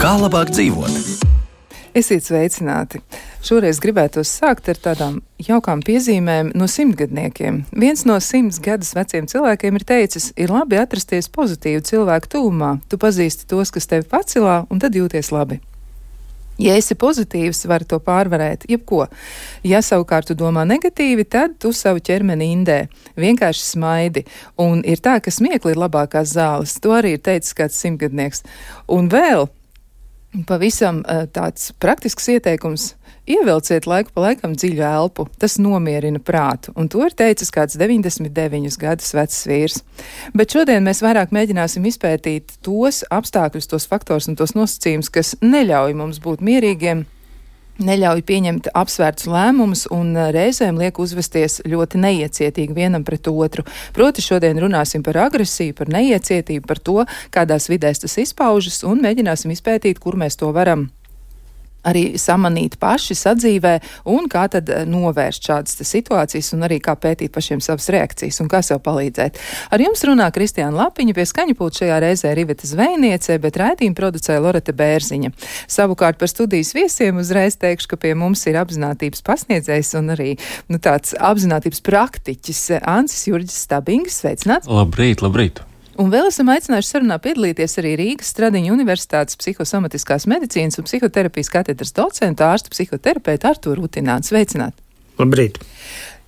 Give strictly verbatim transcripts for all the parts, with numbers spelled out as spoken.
Kā labāk dzīvot? Esiet sveicināti! Šoreiz gribētos sākt ar tādām jaukām piezīmēm no simtgadniekiem. Viens no simts gadus veciem cilvēkiem ir teicis, ir labi atrasties pozitīvu cilvēku tuvumā. Tu pazīsti tos, kas tevi pacilā, un tad jūties labi. Ja esi pozitīvs, vari to pārvarēt, jebko. Ja savukārt tu domā negatīvi, tad tu savu ķermeni indē. Vienkārši smaidi. Un ir tā, ka smiekli ir labākās zāles. To arī ir teicis kāds simtgadnieks. Un vēl pavisam tāds praktisks ieteikums. Ievelciet laiku pa laikam dziļu elpu, tas nomierina prātu, un to ir teicis kāds deviņdesmit deviņus gadus vecs vīrs. Bet šodien mēs vairāk mēģināsim izpētīt tos apstākļus, tos faktors un tos nosacījumus, kas neļauj mums būt mierīgiem, neļauj pieņemt apsvērtus lēmumus un reizēm liek uzvesties ļoti neiecietīgi vienam pret otru. Proti šodien runāsim par agresiju, par neiecietību, par to, kādās vidēs tas izpaužas, un mēģināsim izpētīt, kur mēs to varam arī samanīt paši sadzīvē un kā tad novērst šādas situācijas un arī kā pētīt pašiem savas reakcijas un kā sev palīdzēt. Ar jums runā Kristiāna Lapiņa, pie skaņapulta šajā reizē Riveta Zvejniece, bet raidījumu producēja Loreta Bērziņa. Savukārt par studijas viesiem uzreiz teikšu, ka pie mums ir apzinātības pasniedzējs un arī nu, tāds apzinātības praktiķis Ancis Jurģis Stabings. Sveicināts! Labrīt, labrīt! Un vēl esam aicinājuši sarunā piedalīties arī Rīgas Stradiņa Universitātes psihosomatiskās medicīnas un psihoterapijas katedras docentu ārstu psihoterapeitu Artūru Utinātu. Sveicināt! Labrīt!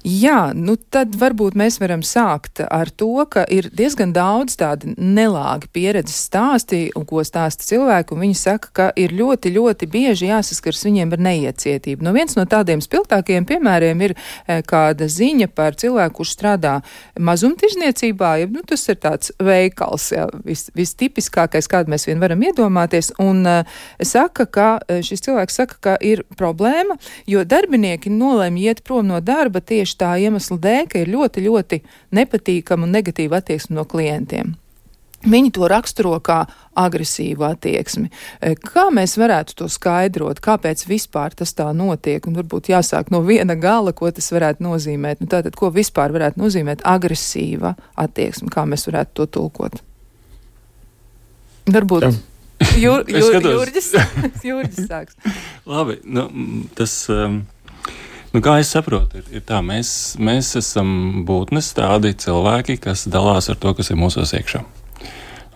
Jā, nu tad varbūt mēs varam sākt ar to, ka ir diezgan daudz tādi nelāgi pieredzes stāsti, un ko stāsta cilvēki, un viņi saka, ka ir ļoti, ļoti bieži jāsaskars viņiem ar neiecietību. Nu, viens no tādiem spilgtākajiem piemēriem ir e, kāda ziņa par cilvēku, kurš strādā mazumtirzniecībā, ja, nu, tas ir tāds veikals, ja, vis, vistipiskākais, kādu mēs vien varam iedomāties, un e, saka, ka šis cilvēks saka, ka ir problēma, jo darbinieki nolēma iet prom no darba tieši tā iemesla dēļ, ka ir ļoti, ļoti nepatīkama un negatīva attieksme no klientiem. Viņi to raksturo kā agresīvu attieksmi. Kā mēs varētu to skaidrot? Kāpēc vispār tas tā notiek? Un varbūt jāsāk no viena gala, ko tas varētu nozīmēt. Nu, tātad, ko vispār varētu nozīmēt agresīva attieksme? Kā mēs varētu to tulkot? Varbūt Jur, Jur, Jurģis, Jurģis sāks. Labi, nu, tas... Um... Nu, kā es saprotu, ir, ir tā, mēs, mēs esam būtnes tādi cilvēki, kas dalās ar to, kas ir mūsos iekšā.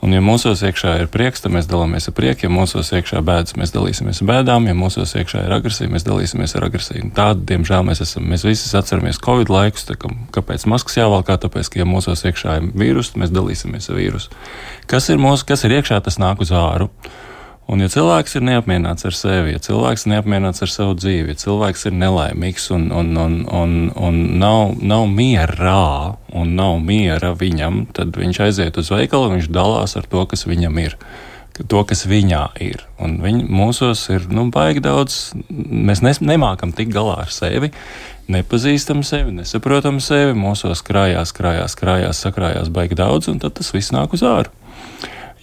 Un, ja mūsos iekšā ir prieks, tad mēs dalāmies ar prieku, ja mūsos iekšā bēdas, mēs dalīsimies ar bēdām, ja mūsos iekšā ir agresija, mēs dalīsimies ar agresiju. Tādi, diemžēl, mēs esam, mēs visi atceramies Covid laikus, tā, ka, kāpēc maskas jāvalkā, tāpēc, ka, ja mūsos iekšā ir vīrus, mēs dalīsimies ar vīrusu. Kas ir mūsu, kas ir iekšā, tas nāk uz āru. Un, ja cilvēks ir neapmierināts ar sevi, ja cilvēks ir neapmierināts ar savu dzīvi, ja cilvēks ir nelaimīgs un, un, un, un, un nav, nav mierā un nav miera viņam, tad viņš aiziet uz veikalu un viņš dalās ar to, kas viņam ir, to, kas viņā ir. Un viņ, mūsos ir, nu, baigi daudz, mēs nes, nemākam tik galā ar sevi, nepazīstam sevi, nesaprotam sevi, mūsos krājās, krājās, krājās, sakrājās baigi daudz, un tad tas viss nāk uz āru.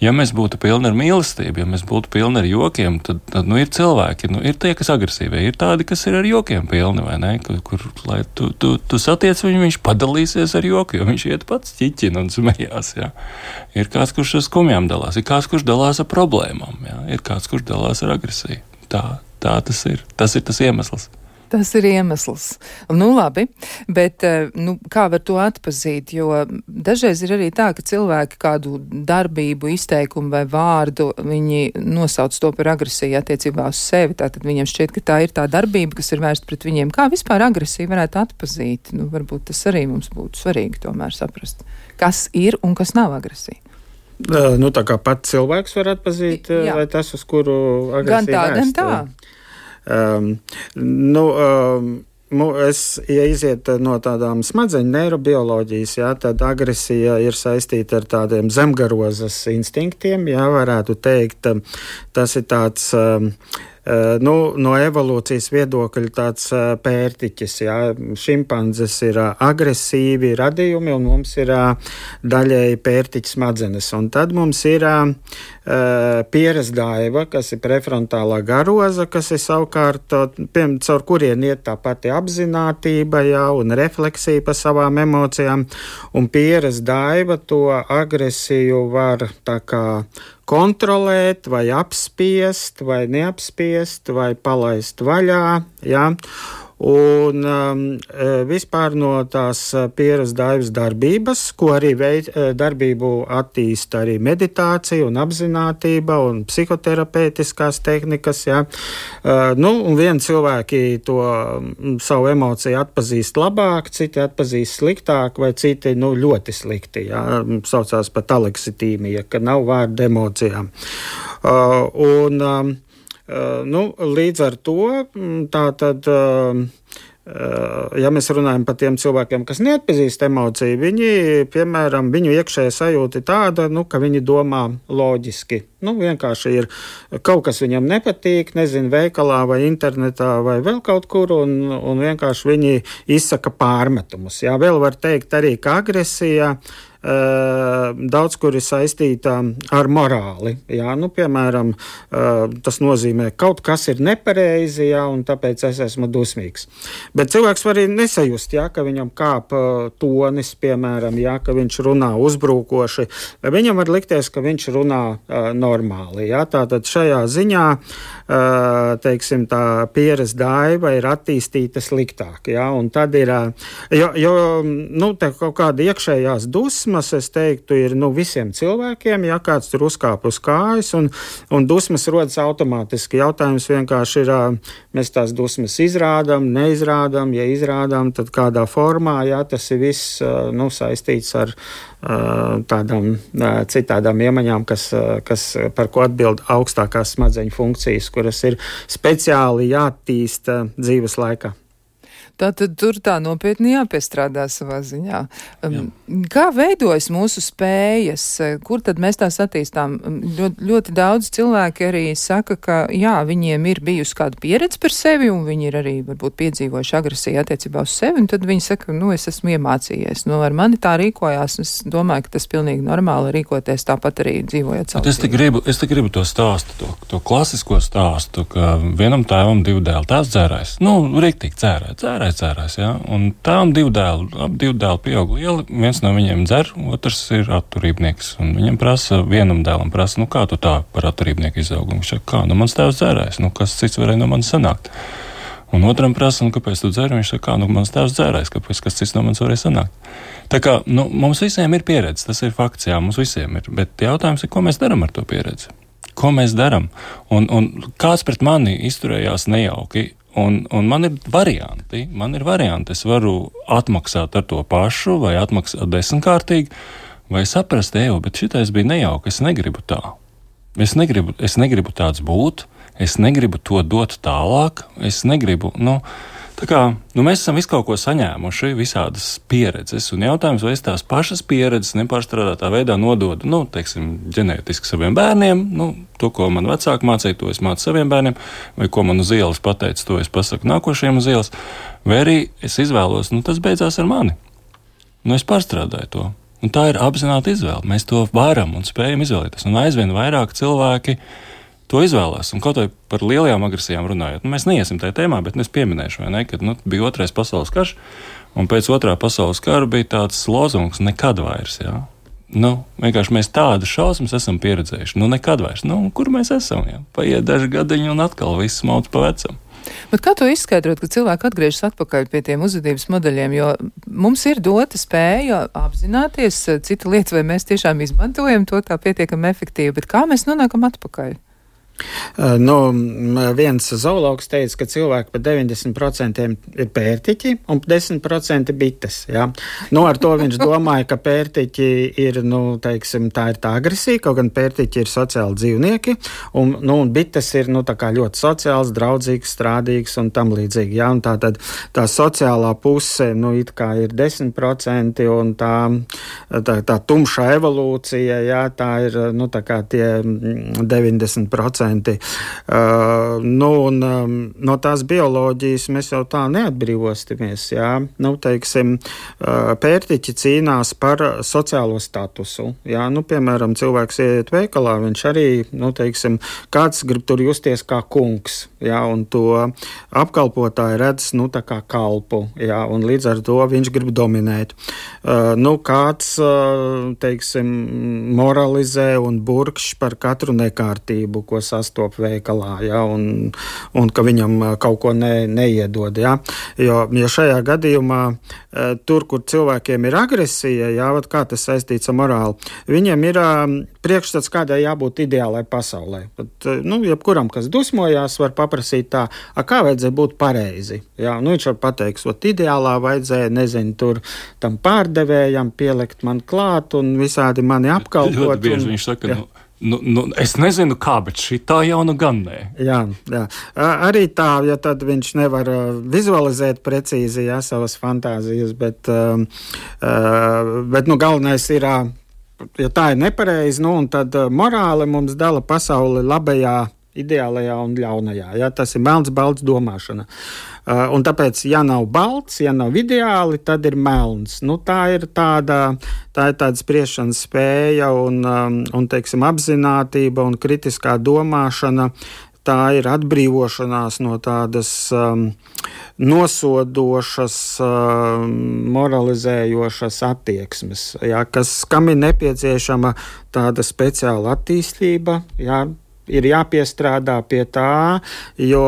Ja mēs būtu pilni ar mīlestību, ja mēs būtu pilni ar jokiem, tad, tad nu, ir cilvēki, nu, ir tie, kas agresīvi, ir tādi, kas ir ar jokiem pilni, vai ne? Kur, kur lai tu, tu, tu satiec viņu, viņš padalīsies ar joku, jo viņš iet pats ķiķina un smējās, jā. Ir kāds, kurš ar skumjām dalās, ir kāds, kurš dalās ar problēmām, jā. Ir kāds, kurš dalās ar agresiju. Tā, tā tas ir. Tas ir tas iemesls. Tas ir iemesls. Nu, labi, bet nu, kā var to atpazīt? Jo dažreiz ir arī tā, ka cilvēki kādu darbību, izteikumu vai vārdu, viņi nosauc to par agresiju attiecībā uz sevi. Tātad viņiem šķiet, ka tā ir tā darbība, kas ir vērsta pret viņiem. Kā vispār agresiju varētu atpazīt? Nu, varbūt tas arī mums būtu svarīgi tomēr saprast, kas ir un kas nav agresija. Nu, tā kā pats cilvēks var atpazīt, Jā. Vai tas, uz kuru agresija gan tā, vērsta? Gan tā. Um, nu, um, es, ja iziet no tādām smadzeņu neirobioloģijas, jā, tad agresija ir saistīta ar tādiem zemgarozas instinktiem, jā, varētu teikt, tas ir tāds um, nu, no evolūcijas viedokļa tāds pērtiķis. Jā. Šimpanzes ir agresīvi radījumi, un mums ir daļēji pērtiķa smadzenes. Un tad mums ir pieres daiva, kas ir prefrontālā garoza, kas ir savukārt, piem, caur kurien iet tā pati apzinātība, jā, un refleksija par savām emocijām, un pieres daiva to agresiju var tā kā kontrolēt, vai apspiest, vai neapspiest, vai palaist vaļā, jā. Un um, vispār no tās pieres daivas darbības, ko arī veid, darbību attīsta arī meditācija un apzinātība un psihoterapeitiskās tehnikas, jā. Uh, nu, un vieni cilvēki to savu emociju atpazīst labāk, citi atpazīst sliktāk, vai citi, nu, ļoti slikti, jā. Saucās pat aleksitīmija, ka nav vārda emocijām. Uh, un, um, Uh, nu, līdz ar to, tā tad, uh, uh, ja mēs runājam par tiem cilvēkiem, kas neatpazīst emociju, viņi, piemēram, viņu iekšējā sajūta ir tāda, nu, ka viņi domā loģiski. Nu, vienkārši ir kaut kas viņam nepatīk, nezinu, veikalā vai internetā vai vēl kaut kur, un, un vienkārši viņi izsaka pārmetumus. Jā, vēl var teikt arī, ka agresija daudz kur ir saistīta ar morāli. Jā, nu, piemēram, tas nozīmē, kaut kas ir nepareizi, jā, un tāpēc es esmu dusmīgs. Bet cilvēks var arī nesajust, jā, ka viņam kāp tonis, piemēram, jā, ka viņš runā uzbrukoši. Viņam var likties, ka viņš runā normāli. Jā, tātad šajā ziņā, teiksim, tā pieres daiva ir attīstīta sliktāk. Jā, un tad ir, jo, jo nu, te kaut kāda iekšējās dusmas, es teiktu, ir nu, visiem cilvēkiem, ja kāds tur uzkāp uz kājas, un, un dusmas rodas automātiski. Jautājums vienkārši ir, mēs tās dusmas izrādām, neizrādām, ja izrādām, tad kādā formā, ja tas ir viss nu, saistīts ar tādām citādām iemaņām, kas, kas, par ko atbild augstākās smadzeņu funkcijas, kuras ir speciāli jāattīsta dzīves laikā. Tātad tur tā nopietni jāpiestrādā savā ziņā. Jā. Kā veidojas mūsu spējas? Kur tad mēs tās attīstām? Ļoti, ļoti daudz cilvēki arī saka, ka jā, viņiem ir bijusi kāda pieredze par sevi, un viņi ir arī varbūt piedzīvojuši agresiju attiecībā uz sevi, un tad viņi saka, nu, es esmu iemācījies. Nu, ar mani tā rīkojās, un es domāju, ka tas pilnīgi normāli rīkoties tāpat arī dzīvojot savu es te gribu, es te gribu to stāstu, to, to klasisko stāstu, ka vienam tēvam divu dēlu tēvs dzērājs. Nu, riktīgi dzērāja, dzērāja. Cērās, ja? Un tām divu dēlu, ap divu dēlu pieaug lieli, viens no viņiem dzer, otrs ir atturībnieks. Un viņam prasa, vienam dēlam prasa, nu kā tu tā par atturībnieku izaugi? Viņš saka, kā, nu mans tēvs dzērājs, nu kas cits varēja no manis sanākt? Un otram prasa, nu kāpēc tu dzeri? Viņš saka, kā, nu mans tēvs dzērājs, kāpēc kas cits no manis varēja sanākt? Tā kā, nu mums visiem ir pieredze, tas ir fakts, jā, mums visiem ir, bet jautājums ir, ko mēs daram ar to pieredzi? Ko mēs daram? Un, un kāds pret mani izturējās nejauki? Un, un man ir varianti, man ir varianti, es varu atmaksāt ar to pašu, vai atmaksāt desmitkārtīgi, vai saprast, eju, bet šitais bija nejauki, es negribu tā. Es negribu, es negribu tāds būt, es negribu to dot tālāk, es negribu, nu, tā kā, nu mēs esam visu kaut ko saņēmuši, visādas pieredzes, un jautājums, vai es tās pašas pieredzes nepārstrādātā veidā nododu, nu, teiksim, ģenētiski saviem bērniem, nu, to, ko man vecāki mācīja, to es mācu saviem bērniem, vai ko man uz ielas pateica, to es pasaku nākošajiem uz ielas, vai arī es izvēlos, nu, tas beidzās ar mani. Nu, es pārstrādāju to. Un tā ir apzināta izvēle. Mēs to varam un spējam izvēlēties. Un aizvien vairāk cilvēki to izvēlās. Un kaut vai par lielajām agresijām runājot, nu, mēs neiesim tajā tēmā, bet es pieminēšu, vai ne, kad nu, bija otrais pasaules karš, un pēc otrā pasaules kara bija tāds lozungs nekad vairs, jā. Nu, vienkārši mēs tādas šausmas esam pieredzējuši. Nu, nekad vairs. Nu, kur mēs esam, jā? Paiet daži gadiņi un atkal viss mauc pa vecam. Bet kā to izskaidrot, ka cilvēki atgriežas atpakaļ pie tiem uzvedības modeļiem, jo mums ir dota spēja apzināties, cita lieta, vai mēs tiešām izmantojam to tā pietiekami efektīvi, bet kā mēs nonākam atpakaļ? Nu, viens zoologs teica, ka cilvēki par deviņdesmit procentiem ir pērtiķi un desmit procenti bites. Ja? Nu, ar to viņš domāja, ka pērtiķi ir, nu, teiksim, tā ir tā agresija, kaut gan pērtiķi ir sociāli dzīvnieki, un, nu, un bites ir, nu, tā kā ļoti sociāls, draudzīgs, strādīgs un tam līdzīgi. Ja? Un tā tad tā sociālā puse, nu, it kā ir desmit procenti, un tā, tā, tā tumšā evolūcija, ja? Tā ir, nu, tā kā tie deviņdesmit procenti. procenti. Uh, nu, un, um, no tās bioloģijas mēs jau tā neatbrīvostamies. Jā. Nu, teiksim, uh, pērtiķi cīnās par sociālo statusu. Jā. Nu, piemēram, cilvēks ieiet veikalā, viņš arī, nu, teiksim, kāds grib tur justies kā kungs, jā, un to apkalpotāji redz, nu, tā kā kalpu, jā, un līdz ar to viņš grib dominēt. Uh, nu, kāds, uh, teiksim, moralizē un burkšķ par katru nekārtību, ko sastop veikalā, jā, un, un ka viņam kaut ko ne, neiedod, jā. Jo, ja šajā gadījumā uh, tur, kur cilvēkiem ir agresija, jā, vat kā tas saistīts ar morāli, viņiem ir uh, priekšstats, kādai jābūt ideālai pasaulē. Pat, uh, nu, jebkuram, kas dusmojās, var paprasīt tā, a, kā vajadzēja būt pareizi, jā, nu, viņš var pateikt, ot, ideālā vajadzēja, nezinu, tur tam pārdevējam pielikt man klāt un visādi mani apkalpot. Ļoti bieži un, viņš saka, jā. nu, nu, nu, es nezinu kā, bet šitā jau nu gan nē. Jā, jā. Arī tā, ja tad viņš nevar vizualizēt precīzi, jā, savas fantāzijas, bet, uh, bet nu, galvenais ir, ja tā ir nepareizi, nu, un tad morāli mums dala pasauli labajā, ideālajā un ļaunajā. Ja? Tas ir melns, balts domāšana. Uh, un tāpēc, ja nav balts, ja nav ideāli, tad ir melns. Nu, tā ir tāda, tā ir tāda spriešanas spēja un, um, un, teiksim, apzinātība un kritiskā domāšana. Tā ir atbrīvošanās no tādas um, nosodošas, um, moralizējošas attieksmes, ja? Kas, kam ir nepieciešama tāda speciāla attīstība, ja? Ir jāpiestrādā pie tā, jo,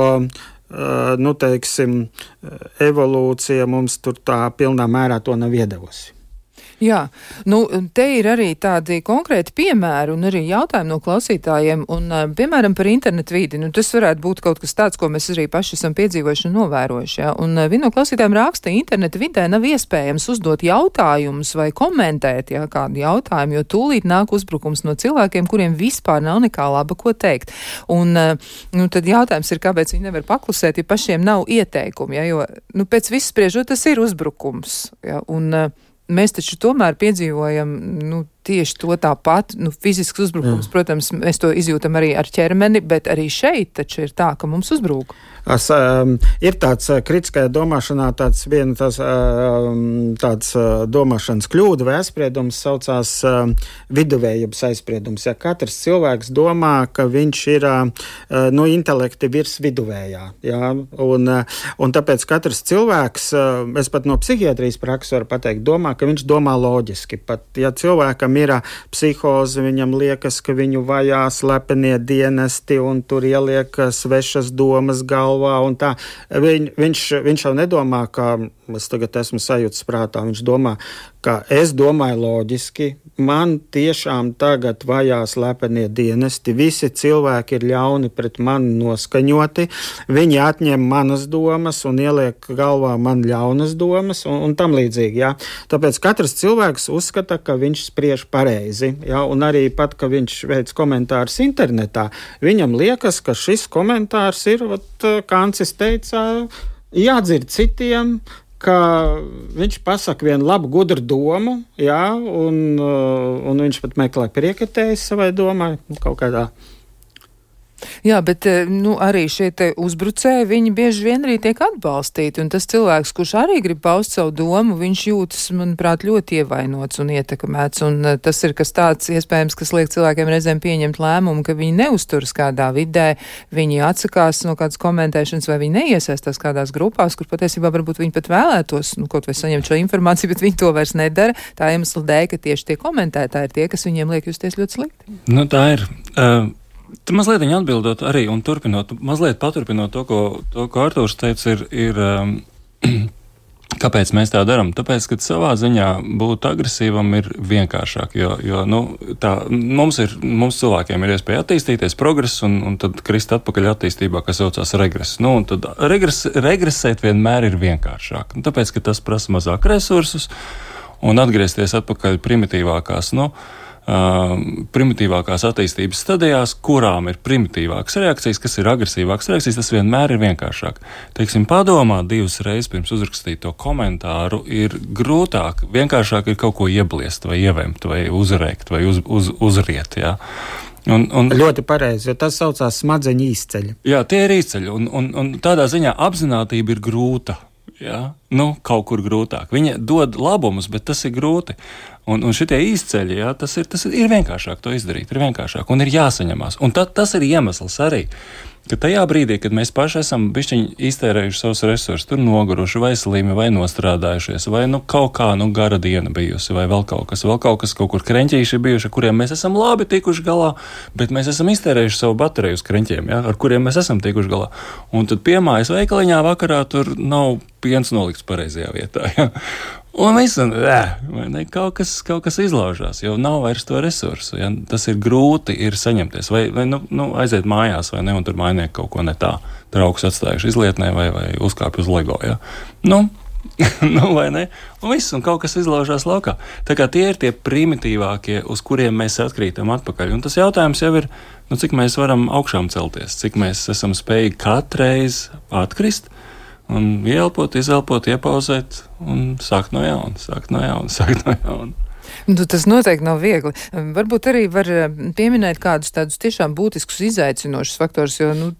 nu, teiksim, evolūcija mums tur tā pilnā mērā to nav iedevusi. Jā, nu, te ir arī tādi konkrēti piemēri un arī jautājumi no klausītājiem, un, piemēram, par internetu vidi. Nu, tas varētu būt kaut kas tāds, ko mēs arī paši esam piedzīvojuši un novērojuši. Ja? Un viena no klausītājiem raksta, internetu vidē nav iespējams uzdot jautājumus vai komentēt, ja, kādu jautājumu, jo tūlīt nāk uzbrukums no cilvēkiem, kuriem vispār nav nekā laba ko teikt. Un, nu, tad jautājums ir, kāpēc viņi nevar paklusēt, ja pašiem nav ieteikumi, ja? Jo, nu, pēc viss spriežot, tas ir uzbrukums, ja? Un mēs taču tomēr piedzīvojam, nu, tieši to tāpat, nu, fizisks uzbrukums, Jā. Protams, mēs to izjūtam arī ar ķermeni, bet arī šeit taču ir tā, ka mums uzbrūk. Es, um, ir tāds uh, kritiskajā domāšanā tāds viena tās, um, tāds uh, domāšanas kļūda vai aizspriedums saucās um, viduvējības aizspriedums. Ja katrs cilvēks domā, ka viņš ir uh, no intelekti virs viduvējā. Ja? Un, uh, un tāpēc katrs cilvēks, uh, es pat no psihiatrijas prakses varu pateikt, domā, ka viņš domā loģiski. Pat ja cilvēkam ir psihoze, viņam liekas, ka viņu vajā slepenie dienesti un tur ieliek svešas domas galvā un tā. Viņ, viņš, viņš jau nedomā, ka es tagad esmu sajūtas prātā, viņš domā, ka es domāju loģiski, man tiešām tagad vajā slepenie dienesti, visi cilvēki ir ļauni pret mani noskaņoti, viņi atņem manas domas un ieliek galvā man ļaunas domas un, un tam līdzīgi, jā. Tāpēc katrs cilvēks uzskata, ka viņš spriež pareizi, jā, un arī pat, ka viņš veic komentārus internetā, viņam liekas, ka šis komentārs ir, vat, Kancis teica, jādzird citiem, ka viņš pasaka vienu labu, gudru domu, jā, un, un viņš pat meklē priekatējus savai domai, kaut kādā. Jā, bet nu, arī šie te uzbrucēji, viņi bieži vien arī tiek atbalstīti, un tas cilvēks, kurš arī grib paust savu domu, viņš jūtas, manuprāt, ļoti ievainots un ietekmēts, un tas ir kas tāds, iespējams, kas liek cilvēkiem reizēm pieņemt lēmumu, ka viņi neusturas kādā vidē, viņi atsakās no kādas komentēšanas, vai viņi neiesaistās kādās grupās, kur patiesībā varbūt viņi pat vēlētos, nu, kaut vai saņemt šo informāciju, bet viņi to vairs nedara, tā iemesla dēļ, ka tieši tie komentētāji ir tie, kas viņiem liek justies ļoti slikti. Nu, tā ir. Uh... Tad mazliet viņa atbildot arī un turpinot, mazliet paturpinot to, ko, to, ko Artūrs teica, ir, ir um, kāpēc mēs tā darām? Tāpēc, ka savā ziņā būt agresīvam ir vienkāršāk, jo, jo nu, tā, mums, ir, mums cilvēkiem ir iespēja attīstīties, progress, un, un tad krist atpakaļ attīstībā, kas saucās regress. Nu, un tad regres, regresēt vienmēr ir vienkāršāk, un tāpēc, ka tas prasa mazāk resursus, un atgriezties atpakaļ primitīvākās, nu, Uh, primitīvākās attīstības stadijās, kurām ir primitīvākas reakcijas, kas ir agresīvākas reakcijas, tas vienmēr ir vienkāršāk. Teiksim, padomāt divas reizes pirms uzrakstīt to komentāru ir grūtāk, vienkāršāk ir kaut ko iebliest vai ievemt vai uzrēkt vai uz, uz, uzriet, jā. Un, un, ļoti pareizi, jo tas saucās smadzeņu izceļi. Jā, tie ir izceļi, un, un, un tādā ziņā apzinātība ir grūta. Jā, nu, kaut kur grūtāk. Viņa dod labumus, bet tas ir grūti. Un, un šitie izceļi, jā, tas ir, tas ir vienkāršāk to izdarīt, ir vienkāršāk un ir jāsaņemās. Un ta, tas ir iemesls arī, ka tajā brīdī, kad mēs paši esam bišķiņi iztērējuši savus resursus, tur noguruši vai slimi, vai nostrādājušies, vai nu kaut kā, nu, gara diena bijusi, vai vēl kaut kas, vēl kaut kas, kaut kur kreņķīši bijuši, ar kuriem mēs esam labi tikuši galā, bet mēs esam iztērējuši savu bateriju uz kreņķiem, jā, ar kuriem mēs esam tikuši galā. Un tad piemājas veikaliņā vakarā tur nav piens nolikts pareizajā vietā, jā. Un viss, un, ne, kaut, kas, kaut kas izlaužās, jo nav vairs to resursu. Ja? Tas ir grūti ir saņemties. Vai, vai nu, nu, aiziet mājās, vai ne, un tur mājnieki kaut ko ne tā. Draugus atstājuši izlietnē vai, vai uzkāpj uz Lego. Ja? Nu, nu, vai ne? Un viss, un kaut kas izlaužās laukā. Tā kā tie ir tie primitīvākie, uz kuriem mēs atkrītam atpakaļ. Un tas jautājums jau ir, nu, cik mēs varam augšām celties, cik mēs esam spējīgi katreiz atkrist, un ieelpot, izelpot, iepauzēt un sākt no jauna, sākt no jauna, sākt no jauna. Nu, tas noteikti nav viegli. Varbūt arī var pieminēt kādus tādus tiešām būtiskus izaicinošus faktors, jo, nu,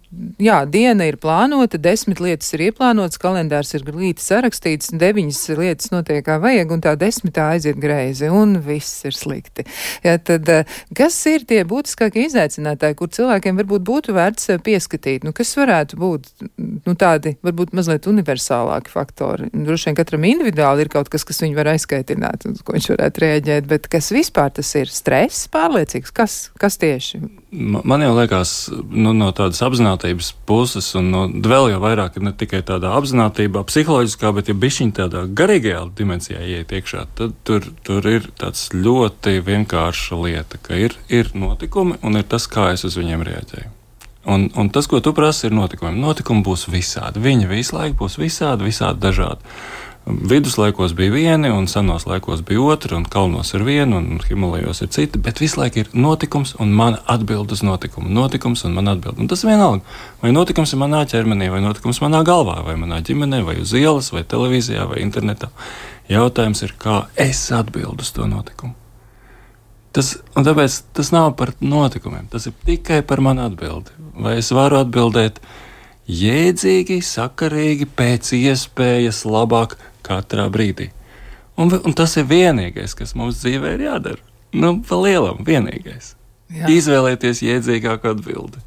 jā, diena ir plānota, desmit lietas ir ieplānotas, kalendārs ir glīti sarakstīts, deviņas lietas notiek kā vajag, un tā desmitā aiziet greizi, un viss ir slikti. Jā, tad, kas ir tie būtiskākie izaicinātāji, kur cilvēkiem varbūt būtu vērts pieskatīt? Nu, kas varētu būt, nu, tādi, varbūt mazliet universālāki faktori? Droši vien katram individuāli ir kaut kas, kas viņu var aizskaitināt, un ko viņš varētu rēģēt. Bet kas vispār tas ir? Stress pārliecīgs? Kas, kas tieši? Man jau liekas, nu, no tādas apzinātības puses, un no, vēl jau vairāk ir ne tikai tādā apzinātībā, psiholoģiskā, bet ja bišķiņ tādā garīgajā dimensijā ieiet iekšā, tad tur, tur ir tāds ļoti vienkārša lieta, ka ir, ir notikumi un ir tas, kā es uz viņiem reaģēju. Un, un tas, ko tu prasi, ir notikumi. Notikumi būs visādi. Viņi visu laiku būs visādi, visādi dažādi. Viduslaikos bija vieni, un senos laikos bija otri, un kalnos ir vieni, un Himalajos ir citi, bet visu laiku ir notikums un mana atbild uz notikumu. Notikums un mana atbild. Un tas vienalga. Vai notikums ir manā ķermenī, vai notikums manā galvā, vai manā ģimenē, vai uz ielas, vai televīzijā, vai internetā. Jautājums ir, kā es atbildu uz to notikumu. Tas, un tāpēc tas nav par notikumiem, tas ir tikai par manu atbildi. Vai es varu atbildēt jēdzīgi, sakarīgi, pēc iespējas labāk katrā brīdī. Un, un tas ir vienīgais, kas mums dzīvē ir jādara. Nu, pa lielam, vienīgais. Jā. Izvēlēties jēdzīgāku atbildi.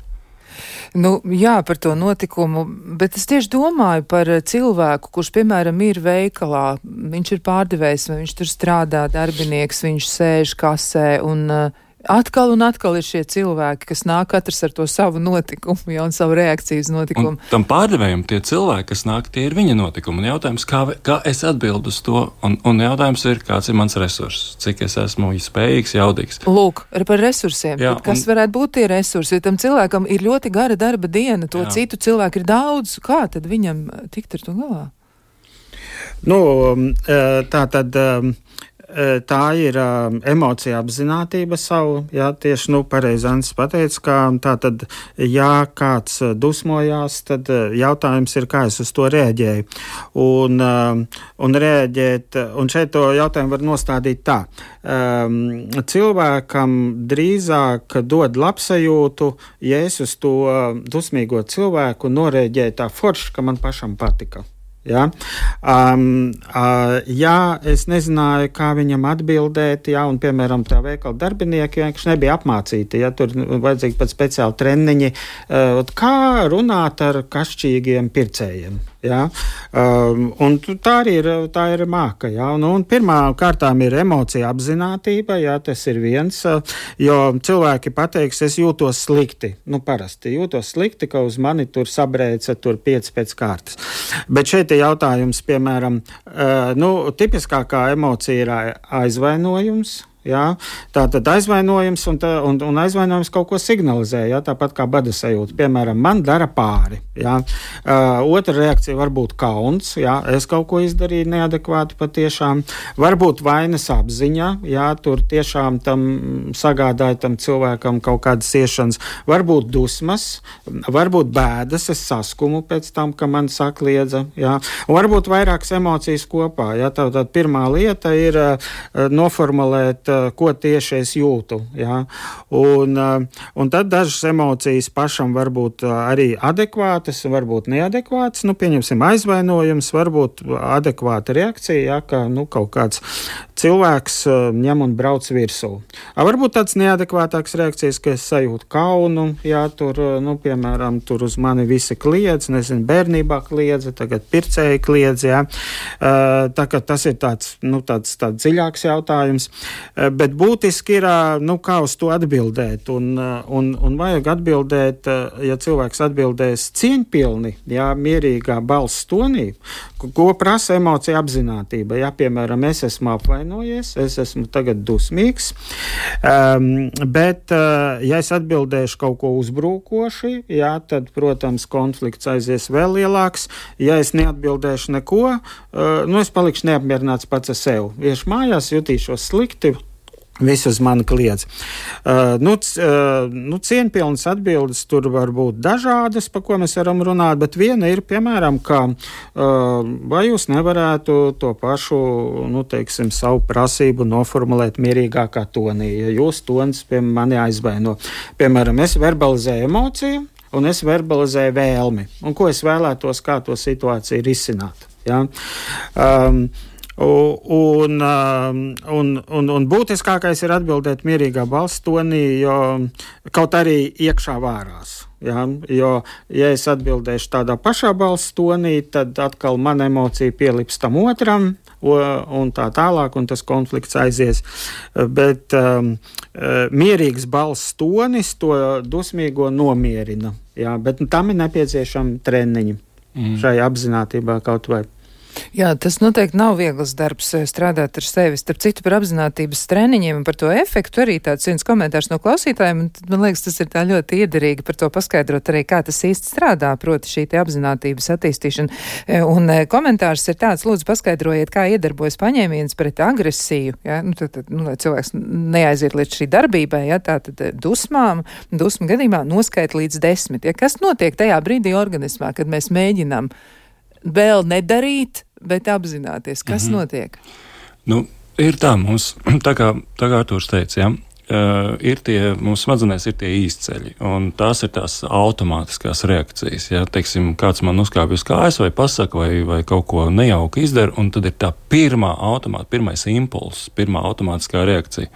Nu, jā, par to notikumu, bet es tieši domāju par cilvēku, kurš, piemēram, ir veikalā, viņš ir pārdevējs, vai viņš tur strādā, darbinieks, viņš sēž kasē un uh, atkal un atkal ir šie cilvēki, kas nāk katrs ar to savu notikumu, ja, un savu reakciju uz notikumu. Un tam pārdevējam tie cilvēki, kas nāk, tie ir viņa notikumi. Un jautājums, kā, kā es atbildu uz to, un, un jautājums ir, kāds ir mans resurss, cik es esmu spējīgs, jaudīgs. Lūk, par resursiem. Jā, kas un... varētu būt tie resursi? Ja tam cilvēkam ir ļoti gara darba diena, to jā. Citu cilvēku ir daudz, kā tad viņam tikt ar to galā? Nu, tā tad... Tā ir uh, emocija apzinātība savu, jā, tieši, nu, pareizi Ants pateica, ka tā tad, ja kāds dusmojās, tad jautājums ir, kā es uz to reaģēju. Un, uh, un reaģēt, un šeit to jautājumu var nostādīt tā. Um, cilvēkam drīzāk dod labsajūtu, ja es uz to dusmīgo cilvēku noreaģēju tā forši, ka man pašam patika. Ja? Um, uh, ja es nezināju, kā viņam atbildēt, ja, un, piemēram, tā veikala darbinieki vienkārši nebija apmācīti, ja tur vajadzīgi pat speciāli treniņi, uh, kā runāt ar kašķīgiem pircējiem. Ja? Um, un tā arī ir, tā ir māka. Ja? Un, un pirmā kārtām ir emocija apzinātība, ja? Tas ir viens, jo cilvēki pateiks, es jūtos slikti. Nu, parasti jūtos slikti, ka uz mani tur sabrēca tur pieci pēc kārtas. Bet šeit ir jautājums, piemēram, uh, nu, tipiskākā emocija ir aizvainojums. Jā, tā tad aizvainojums un, tā, un, un aizvainojums kaut ko signalizē, jā, tāpat kā bada sajūta. Piemēram, man dara pāri. Jā. Uh, otra reakcija var būt kauns, jā, es kaut ko izdarīju neadekvāti patiešām. Varbūt vainas apziņa, jā, tur tiešām tam sagādāja tam cilvēkam kaut kādas ciešanas. Varbūt dusmas, varbūt bēdas, es saskumu pēc tam, ka man sakliedza, jā. Un varbūt vairākas emocijas kopā, jā. Tā tad pirmā lieta ir uh, noformulēt ko tieši es jūtu. Ja? Un, un tad dažas emocijas pašam var būt arī adekvātas, varbūt neadekvātas. Nu, pieņemsim aizvainojums, varbūt adekvāta reakcija, ja, ka nu, kaut kāds cilvēks ņem un brauc virsū. Varbūt tāds neadekvātāks reakcijas, ka es sajūtu kaunu, ja tur, nu, piemēram, tur uz mani visi kliedz, nezinu, bērnībā kliedza, tagad pircēji kliedz, ja. Tā kā tas ir tāds, nu, tāds, tāds dziļāks jautājums, bet būtiski ir, nu, kā uz to atbildēt, un, un, un vajag atbildēt, ja cilvēks atbildēs cieņpilni, ja, mierīgā balss tonī, ko prasa emocija apzinātība, ja, piemēram, es esmu apvainojies, es esmu tagad dusmīgs, um, bet, uh, ja es atbildēšu kaut ko uzbrūkoši, ja, tad, protams, konflikts aizies vēl lielāks, ja es neatbildēšu neko, uh, nu, es palikšu neapmierināts pats ar sevi. Iešu mājās, jutīšos slikti, visu uz mani kliedz. Uh, nu, c, uh, nu, cieņpilnas atbildes tur var būt dažādas, pa ko mēs varam runāt, bet viena ir, piemēram, ka uh, vai jūs nevarētu to pašu, nu, teiksim, savu prasību noformulēt mierīgākā tonī, ja jūs tonis, piemēram, mani aizvaino. Piemēram, es verbalizēju emociju, un es verbalizēju vēlmi, un ko es vēlētos, kā to situāciju risināt. Ja? Um, Un, un, un, un būtiskākais ir atbildēt mierīgā balss tonī, jo kaut arī iekšā vārās. Ja? Jo, ja es atbildēšu tādā pašā balss tonī, tad atkal mana emocija pielips tam otram, un tā tālāk, un tas konflikts aizies. Bet um, mierīgs balss tonis to dusmīgo nomierina. Ja? Bet tam ir nepieciešami treniņi mm. šai apzinātībā kaut vai. Jā, tas noteikti nav viegls darbs strādāt ar sevi. Starp citu par apzinātības treniņiem un par to efektu arī tāds viens komentārs no klausītājiem. Man liekas, tas ir tā ļoti iederīgi par to paskaidrot arī, kā tas īsti strādā, proti šī te apzinātības attīstīšana. Un komentārs ir tāds, lūdzu paskaidrojiet, kā iedarbojas paņēmiens pret agresiju, ja? Nu, tad, tad, nu, lai cilvēks neaiziet līdz šī darbībai, ja? Tā tad dusmām, dusmu gadījumā noskait līdz desmit. Ja? Kas notiek tajā brīdī organismā, kad mēs mēģinām vēl nedarīt, bet apzināties, kas mm-hmm. notiek? Nu, ir tā mums, tā kā, tā kā Artūrs teica, ja, uh, ir tie, mūsu smadzenēs ir tie īsceļi, un tās ir tās automātiskās reakcijas, ja, teiksim, kāds man uzkāpj uz kājas vai pasaka vai, vai kaut ko nejauki izdara, un tad ir tā pirmā automāta, pirmais impulss, pirmā automātiskā reakcija.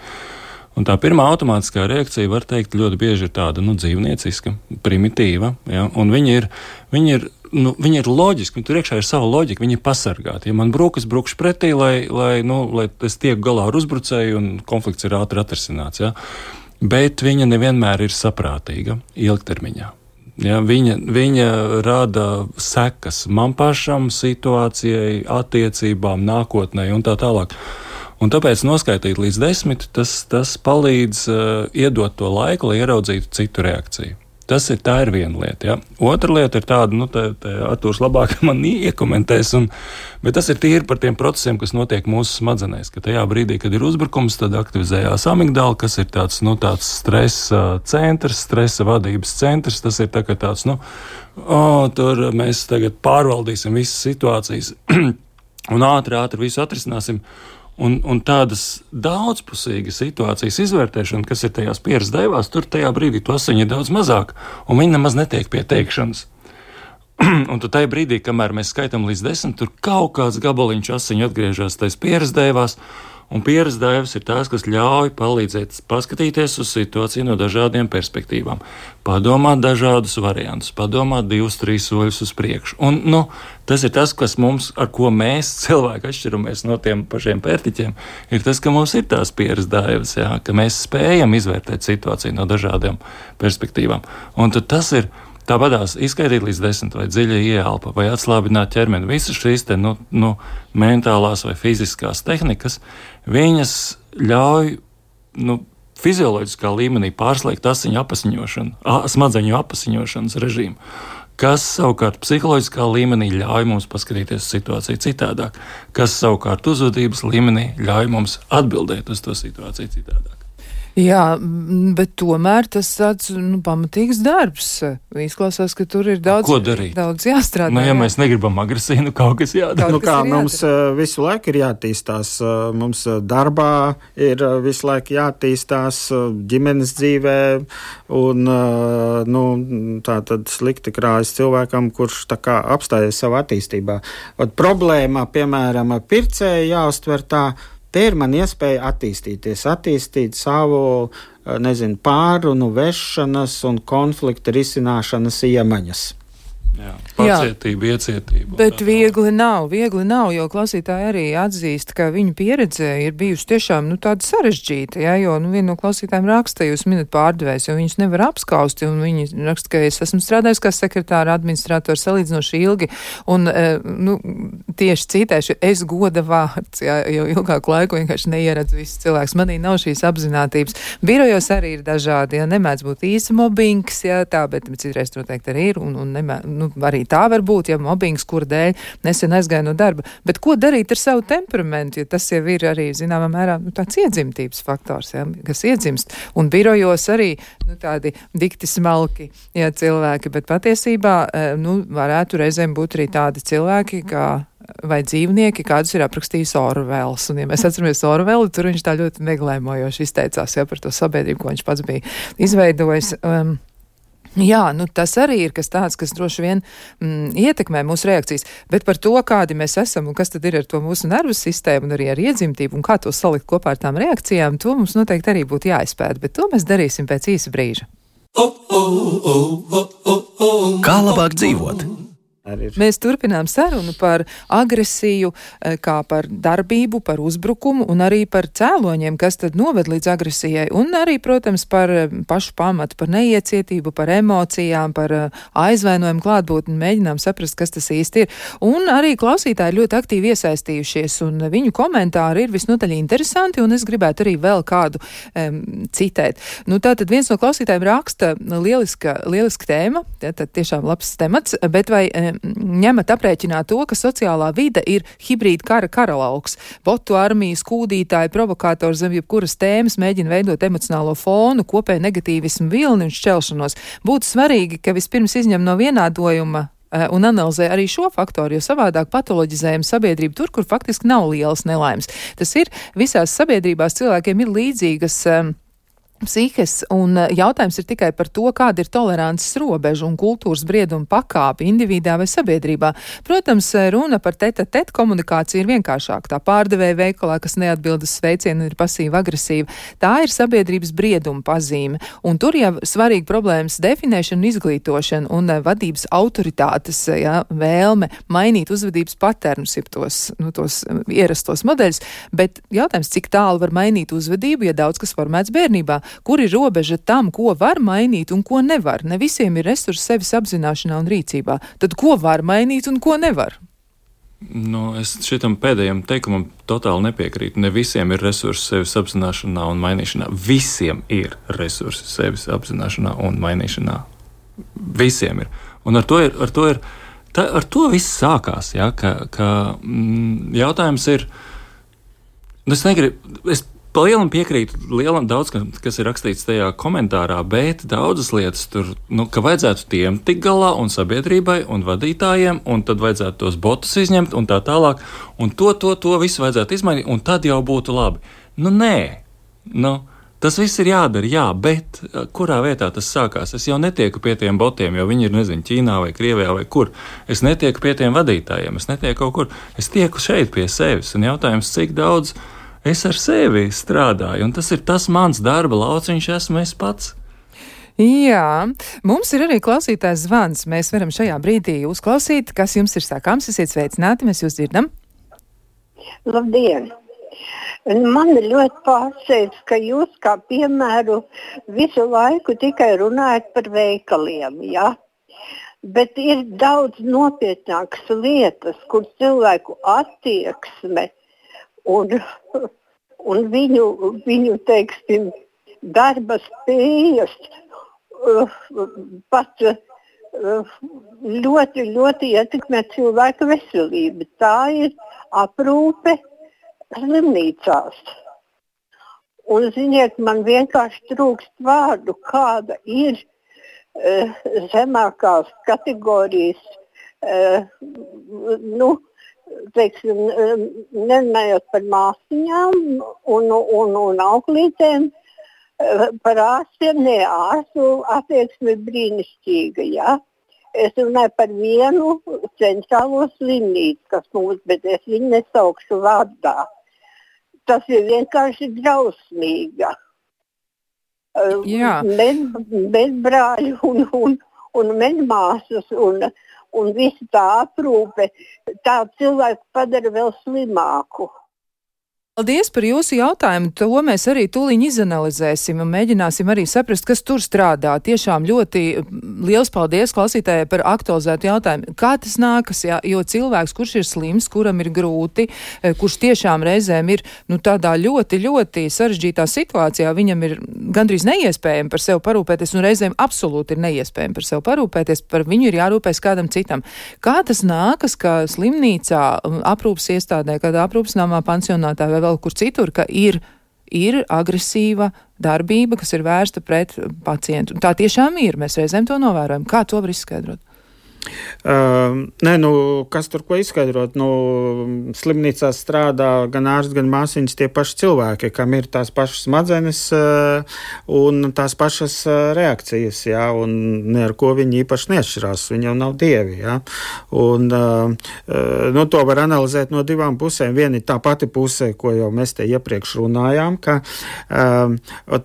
Un tā pirmā automātiskā reakcija, var teikt, ļoti bieži ir tāda, nu, dzīvnieciska, primitīva, ja, un viņi ir, viņi ir, nu, viņi ir loģiski, tur iekšā ir sava loģika, viņi ir pasargāti. Ja man brūk, es brūkšu pretī, lai, lai, nu, lai es tieku galā ar uzbrucēju un konflikts ir ātri atrisināts, ja, bet viņa nevienmēr ir saprātīga ilgtermiņā. Ja, viņa, viņa rada sekas man pašam, situācijai, attiecībām, nākotnē un tā tālāk. Un tāpēc noskaitīt līdz desmit, tas, tas palīdz uh, iedot to laiku, lai ieraudzītu citu reakciju. Tas ir, tā ir viena lieta. Ja? Otra lieta ir tāda, nu, te, te Artūrs labāk man iekomentēs, un, bet tas ir tīri par tiem procesiem, kas notiek mūsu smadzenēs, ka tajā brīdī, kad ir uzbrukums, tad aktivizējās amigdala, kas ir tāds, nu, tāds stresa centrs, stresa vadības centrs, tas ir tā, ka tāds, nu, o, tur mēs tagad pārvaldīsim visas situācijas un ātri, ātri visu atrisināsim. Un, un tādas daudzpusīgas situācijas izvērtēšana, kas ir tajās pieras daivās, tur tajā brīdī to asiņu ir daudz mazāk, un viņi nemaz netiek pie teikšanas. Un tad tajā brīdī, kamēr mēs skaitām līdz desmit, tur kaut kāds gabaliņš asiņu atgriežas tais pieras daivās, un pieras daivas ir tās, kas ļauj palīdzēt paskatīties uz situāciju no dažādiem perspektīvām, padomāt dažādus variantus, padomāt divus, trīs soļus uz priekšu. Un, nu, tas ir tas, kas mums, ar ko mēs cilvēki atšķiramies no tiem pašiem pērtiķiem, ir tas, ka mums ir tās pieras daivas, jā, ka mēs spējam izvērtēt situāciju no dažādiem perspektīvām. Un tad tas ir tāpatās izskaidīt līdz desmit vai dziļi ieelpa vai atslābināt ķermeni. Visas šīs te, nu, nu, mentālās vai fiziskās tehnikas, viņas ļauj, nu, fizioloģiskā līmenī pārslēgt asiņu apasiņošanu, smadzeņu apasiņošanas režīmu, kas savukārt psiholoģiskā līmenī ļauj mums paskatīties situāciju citādāk, kas savukārt uzvedības līmenī ļauj mums atbildēt uz to situāciju citādāk. Jā, bet tomēr tas tāds, nu, pamatīgs darbs. Izklausās, ka tur ir daudz, daudz jāstrādā. Nu, ja jā. Mēs negribam agresiju, nu kaut kas jādara. Nu, kā mums visu laiku ir jātīstās. Mums darbā ir visu laiku jātīstās, ģimenes dzīvē, un, nu, tā tad slikti krājas cilvēkam, kurš tā kā apstājas savu attīstībā. Ot, problēma, piemēram, pircēju jāuztver tā, te ir man iespēja attīstīties, attīstīt savu, nezinu, pārunu, vešanas un konflikta risināšanas iemaņas. Jā, pacietība, iecietība. Bet viegli nav, viegli nav, jo klausītāji arī atzīst, ka viņu pieredze ir bijusi tiešām, nu, tāda sarežģīta, jā, jo, nu, viena no klausītājiem raksta, jūs minat pārdevējs, jo viņus nevar apskausti, un viņi raksta, ka es esmu strādājis kā sekretāra administrators salīdzinoši ilgi, un, nu, tieši citēšu, es goda vārds, jā, jo ilgāku laiku vienkārši neieredzu visus cilvēkus, manī nav šīs apzinātības. Birojos arī ir dažādi, jā, nemēdz būt īsa mobbings, jā, tā, bet citreiz noteikti arī ir, un, un nemēdz, nu, arī tā var būt, ja mobbings, kur dēļ nesen aizgāja no darba. Bet ko darīt ar savu temperamentu, jo tas jau ir arī, zināmā mērā, nu, tāds iedzimtības faktors, ja, kas iedzimst. Un birojos arī, nu, tādi dikti smalki, ja, cilvēki, bet patiesībā, nu, varētu reizēm būt arī tādi cilvēki, kā vai dzīvnieki, kādus ir aprakstījis Orwells. Un, ja mēs atceramies Orwellu, tur viņš tā ļoti meglēmojoši izteicās, ja, par to sabiedrību, ko viņš pats bija izveidojis. Um, Jā, nu tas arī ir kas tāds, kas droši vien mm, ietekmē mūsu reakcijas, bet par to, kādi mēs esam un kas tad ir ar to mūsu nervu sistēmu un arī ar iedzimtību un kā to salikt kopā ar tām reakcijām, to mums noteikti arī būtu jāizpēta, bet to mēs darīsim pēc īsa brīža. Kā labāk dzīvot? Mēs turpinām sarunu par agresiju, kā par darbību, par uzbrukumu un arī par cēloņiem, kas tad noved līdz agresijai. Un arī, protams, par pašu pamatu, par neiecietību, par emocijām, par aizvainojumu klātbūtni, mēģinām saprast, kas tas īsti ir. Un arī klausītāji ļoti aktīvi iesaistījušies, un viņu komentāri ir visnotaļ interesanti, un es gribētu arī vēl kādu um, citēt. Nu, tātad viens no klausītājiem raksta lieliska, lieliska tēma, tātad tiešām labs temats, bet vai ņemat aprēķināt to, ka sociālā vide ir hibrīda kara karalauks. Botu armijas, kūdītāji, provokātori zem jebkuras tēmas mēģina veidot emocionālo fonu, kopēju negatīvismu vilni un šķelšanos. Būtu svarīgi, ka vispirms izņem no vienādojuma un analizē arī šo faktoru, jo savādāk patoloģizējam sabiedrību tur, kur faktiski nav lielas nelaimes. Tas ir visās sabiedrībās cilvēkiem ir līdzīgas um, psihes, un jautājums ir tikai par to, kāda ir tolerances robeža un kultūras brieduma pakāpe individā vai sabiedrībā. Protams, runa par tete-tete komunikāciju ir vienkāršāka. Tā pārdevēja veikalā, kas neatbild uz sveicienu, ir pasīva agresīva. Tā ir sabiedrības brieduma pazīme, un tur jau svarīgi problēmas definēšana un izglītošana un vadības autoritātes, ja, vēlme mainīt uzvedības paternus, jeb tos, nu, tos ierastos modeļus, bet jautājums, cik tālu var mainīt uzvedību, ja daudz kas formēts bērnībā. Kur ir robeža tam, ko var mainīt un ko nevar? Ne visiem ir resursi sevis apzināšanā un rīcībā. Tad ko var mainīt un ko nevar? Nu, es šitam pēdējam teikumam totāli nepiekrītu. Ne visiem ir resursi sevis apzināšanā un mainīšanā. Visiem ir resursi sevis apzināšanā un mainīšanā. Visiem ir. Un ar to ir, ar to ir, tā, ar to viss sākās, ja, ka, ka mm, jautājums ir, es negribu, es pa lielam piekrītu lielam daudz, kas ir rakstīts tajā komentārā, bet daudzas lietas tur, nu, ka vajadzētu tiem tik galā un sabiedrībai un vadītājiem, un tad vajadzētu tos botus izņemt un tā tālāk, un to, to, to visu vajadzētu izmainīt, un tad jau būtu labi. Nu, nē, nu, tas viss ir jādara, jā, bet kurā vietā tas sākās? Es jau netieku pie tiem botiem, jo viņi ir, nezinu, Ķīnā vai Krievijā vai kur. Es netieku pie tiem vadītājiem, es netieku kaut kur. Es tieku šeit pie sevis, un jautājums, cik daudz es ar sevi strādāju, un tas ir tas mans darba lauciņš, esmu es pats. Jā, mums ir arī klausītājs zvans. Mēs varam šajā brīdī uzklausīt, kas jums ir sakāms. Esiet sveicināti, mēs jūs dzirdam. Labdien! Man ļoti pārsteidz, ka jūs kā piemēru visu laiku tikai runājat par veikaliem, jā? Bet ir daudz nopietnākas lietas, kur cilvēku attieksme un, un viņu, viņu teiksim, darba spējas uh, pat uh, ļoti, ļoti ietekmē cilvēka veselību. Tā ir aprūpe slimnīcās. Un, ziniet, man vienkārši trūkst vārdu, kāda ir uh, zemākās kategorijas, uh, nu, teiksim, nerunājot par māsiņām un, un, un auklītēm, uh, par ārstiem, ne, ārstu attieksme brīnišķīga, jā. Es runāju par vienu centrālo slimnīcu, kas mums, bet es viņu nesaukšu vārdā. Tas ir vienkārši drausmīga. Medbrāļi un, un, un medmāsas un, un visa tā aprūpe tā cilvēku padara vēl slimāku. Paldies par jūsu jautājumu. To mēs arī tūliņ izanalizēsim un mēģināsim arī saprast, kas tur strādā. Tiešām ļoti liels paldies klausītājai par aktualizētu jautājumu. Kā tas nākas, jā? Jo cilvēks, kurš ir slims, kuram ir grūti, kurš tiešām reizēm ir nu, tādā ļoti, ļoti sarežģītā situācijā, viņam ir gandrīz neiespējami par sevi parūpēties un reizēm absolūti ir neiespējami par sevi parūpēties, par viņu ir jārūpēs kādam citam. Kā tas nākas, ka slimnīcā, aprūpas iestādē, kādā aprūpas namā, pansionātā vai vēl kur citur, ka ir, ir agresīva darbība, kas ir vērsta pret pacientu. Tā tiešām ir, mēs reizēm to novērojam. Kā to var izskaidrot? Uh, nē, nu, kas tur ko izskaidrot? Nu, slimnīcā strādā gan ārsts, gan māsiņas tie paši cilvēki, kam ir tās pašas smadzenes uh, un tās pašas uh, reakcijas, jā, un ne ar ko viņi īpaši neatšķirās, viņi jau nav dievi, jā. Un, uh, uh, nu, to var analizēt no divām pusēm. Viena ir tā pati pusē, ko jau mēs te iepriekš runājām, ka uh,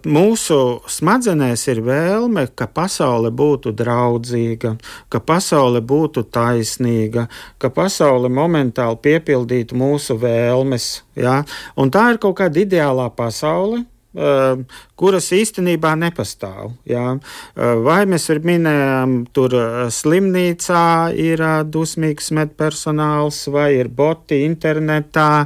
mūsu smadzenēs ir vēlme, ka pasaule būtu draudzīga, ka pasaule būtu taisnīga, ka pasaule momentāli piepildītu mūsu vēlmes. Ja? Un tā ir kaut kāda ideālā pasaule, uh, kuras īstenībā nepastāv. Ja? Uh, vai mēs minējām, tur slimnīcā ir uh, dusmīgs medpersonāls, vai ir boti internetā,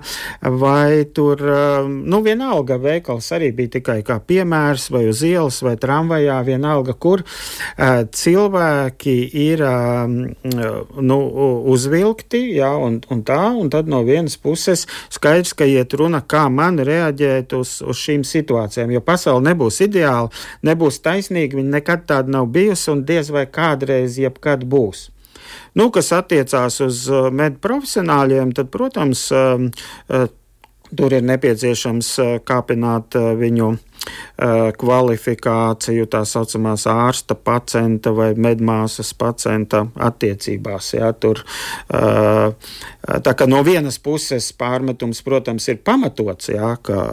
vai tur, uh, nu vienalga veikals arī bija tikai kā piemērs, vai uz ielas, vai tramvajā, vienalga, kur uh, cilvēki ir uh, nu, uzvilkti, ja, un, un tā, un tad no vienas puses skaidrs, ka iet runa, kā man reaģēt uz, uz šīm situācijām, jo pasauli nebūs ideāli, nebūs taisnīgi, viņa nekad tāda nav bijusi un diez vai kādreiz jebkad būs. Nu, kas attiecās uz medprofesionāļiem, tad, protams, tur ir nepieciešams kāpināt viņu kvalifikāciju, tā saucamās ārsta pacienta vai medmāsas pacienta attiecībās. Jā, tur, tā kā no vienas puses pārmetums, protams, ir pamatots, jā, ka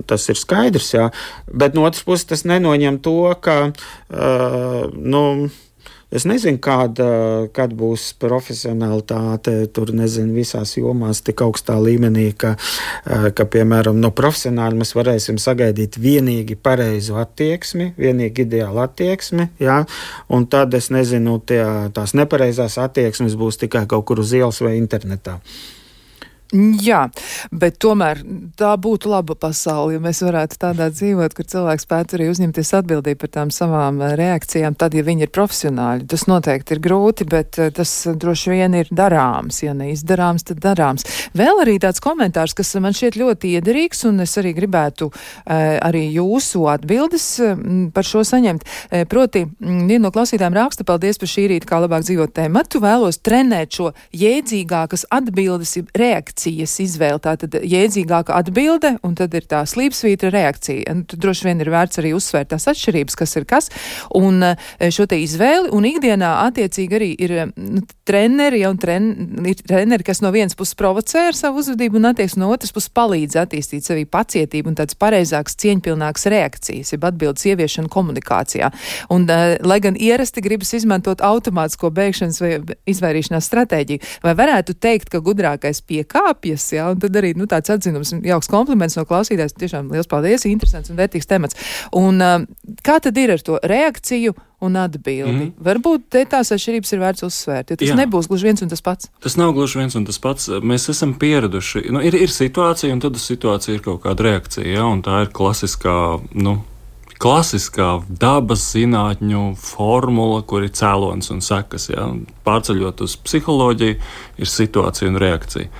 tas ir skaidrs, jā, bet no otras puses tas nenoņem to, ka, nu, es nezinu, kāda, kad būs profesionalitāte, tur nezinu, visās jomās tik augstā līmenī, ka, ka piemēram, no profesionāļa mēs varēsim sagaidīt vienīgi pareizu attieksmi, vienīgi ideālu attieksmi, jā, un tad, es nezinu, tie, tās nepareizās attieksmes būs tikai kaut kur uz ielas vai internetā. Jā, bet tomēr tā būtu laba pasaule, ja mēs varētu tādā dzīvot, kur cilvēks spētu arī uzņemties atbildību par tām savām reakcijām, tad, ja viņi ir profesionāļi. Tas noteikti ir grūti, bet tas droši vien ir darāms. Ja neizdarāms, tad darāms. Vēl arī tāds komentārs, kas man šķiet ļoti iederīgs, un es arī gribētu eh, arī jūsu atbildes par šo saņemt. Eh, proti, viena no klausītājiem raksta, paldies par šī rīta, kā labāk dzīvot tēmatu, vēlos trenēt šo jēdzīgākas atbildes reakcijas izvēle, tātad jēdzīgāka atbilde, un tad ir tā slīpsvītra reakcija. Un tad droši vien ir vērts arī uzsvērt tās atšķirības, kas ir kas, un šo te izvēli, un ikdienā attiecīgi arī ir nu, treneri, ja, un tren, ir treneri, kas no vienas puses provocē ar savu uzvedību, un attieksmi no otras puses palīdz attīstīt sevī pacietību un tāds pareizāks, cieņpilnāks reakcijas, jeb atbildes ieviešana komunikācijā. Un, uh, lai gan ierasti gribas izmantot automātisko beigšanas vai izvairīšanās stratēģiju, vai varētu teikt, ka gudrākais piekā Apjas, jā, un tad arī nu, tāds atzinums, jauks kompliments no klausītājs, tiešām liels paldies, interesants un vērtīgs temats. Un uh, kā tad ir ar to reakciju un atbildi? Mm. Varbūt te tās atšķirības ir vērts uzsvērt, jo tas jā. Nebūs gluži viens un tas pats. Tas nav gluži viens un tas pats. Mēs esam pieraduši, nu, ir, ir situācija, un tad uz situāciju ir kaut kāda reakcija, jā, un tā ir klasiskā, nu, klasiskā dabas zinātņu formula, kur ir cēlonis un sekas, jā. Pārceļot uz psiholoģiju, ir situācija un reakcija.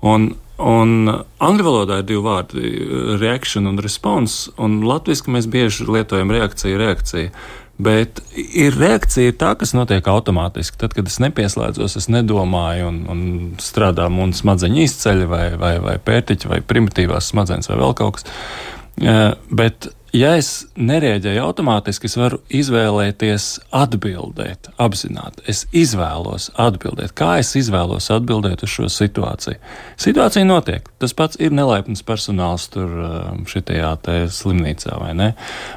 Un Un angļu valodā ir divi vārdi - reaction un response, un latviski mēs bieži lietojam reakciju, reakciju. Bet ir reakcija ir tā, kas notiek automātiski. Tad, kad es nepieslēdzos, es nedomāju un, un strādā un smadzeņu izceļ vai, vai, vai pērtiķi vai primitīvās smadzenes vai vēl kaut kas. Bet, ja es nereaģēju automātiski, es varu izvēlēties atbildēt, apzināti. Es izvēlos atbildēt. Kā es izvēlos atbildēt uz šo situāciju? Situācija notiek. Tas pats ir nelaipns personāls tur šitajā te slimnīcā, vai ne?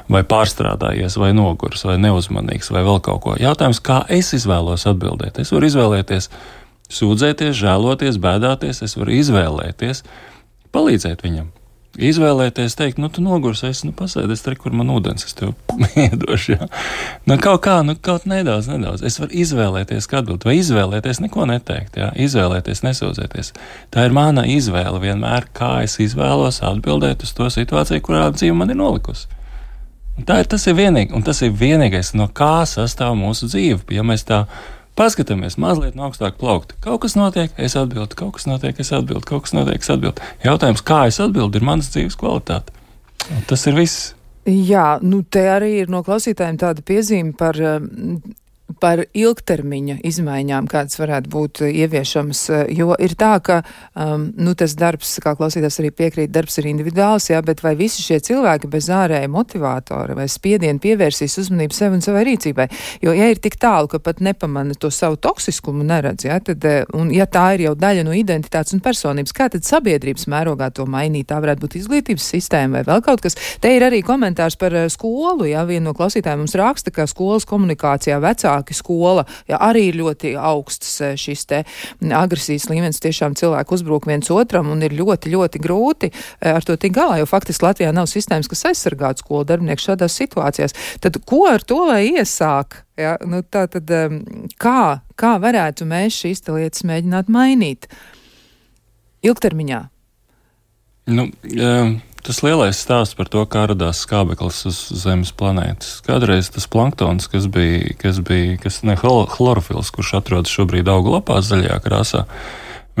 Vai pārstrādājies, vai noguris, vai neuzmanīgs, vai vēl kaut ko. Jautājums, kā es izvēlos atbildēt? Es varu izvēlēties sūdzēties, žēloties, bēdāties. Es varu izvēlēties palīdzēt viņam. Izvēlēties, teikt, nu, tu nogurs, es, nu, pasēdies, tur, kur man ūdens, es tev iedošu, jā. Nu, kaut kā, nu, kaut nedaudz, nedaudz. Es varu izvēlēties, kā atbild, vai izvēlēties neko neteikt, jā, izvēlēties, nesūdzēties. Tā ir mana izvēle vienmēr, kā es izvēlos atbildēt uz to situāciju, kurā dzīve man ir nolikusi. Un tā ir, tas ir vienīgi, un tas ir vienīgais, no kā sastāv mūsu dzīve, ja mēs tā paskatāmies mazliet no augstāk plaukta. Kaut kas notiek, es atbildu, kaut kas notiek, es atbildu, kaut kas notiek, es atbildu. Jautājums, kā es atbildu, ir manas dzīves kvalitāte. Un tas ir viss. Jā, nu te arī ir no klausītājiem tāda piezīme par, par ilgtermiņa izmaiņām, kādas varētu būt ieviešamas, jo ir tā, ka um, nu, tas darbs, kā klausītājs arī piekrīt, darbs ir individuāls, jā, bet vai visi šie cilvēki bez ārēja motivātora vai spiediena pievērsīs uzmanību sev un savai rīcībai? Jo, ja ir tik tālu, ka pat nepamana to savu toksiskumu neredz, jā, tad, un ja tā ir jau daļa no identitātes un personības, kā tad sabiedrības mērogā to mainīt? Tā varētu būt izglītības sistēma vai vēl kaut kas. Te ir arī komentārs par skolu, jā, viena no klausītājiem mums raksta, ka skolas komunikācijā vecāki skola, jā, arī ir ļoti augsts šis te agresijas līmenis, tiešām cilvēki uzbruk viens otram un ir ļoti, ļoti grūti ar to tik galā, jo faktiski Latvijā nav sistēmas, kas aizsargātu skolu darbinieku šādās situācijās. Tad ko ar to lai iesāk? Jā, nu tā tad kā, kā varētu mēs šīs te lietas mēģināt mainīt ilgtermiņā? Nu, um... Tas lielais stāsts par to, kā radās skābeklis uz Zemes planētas. Kādreiz tas planktons, kas bija, kas bija, kas ne chlorofils, kurš atrodas šobrīd augu lapās zaļajā krāsā,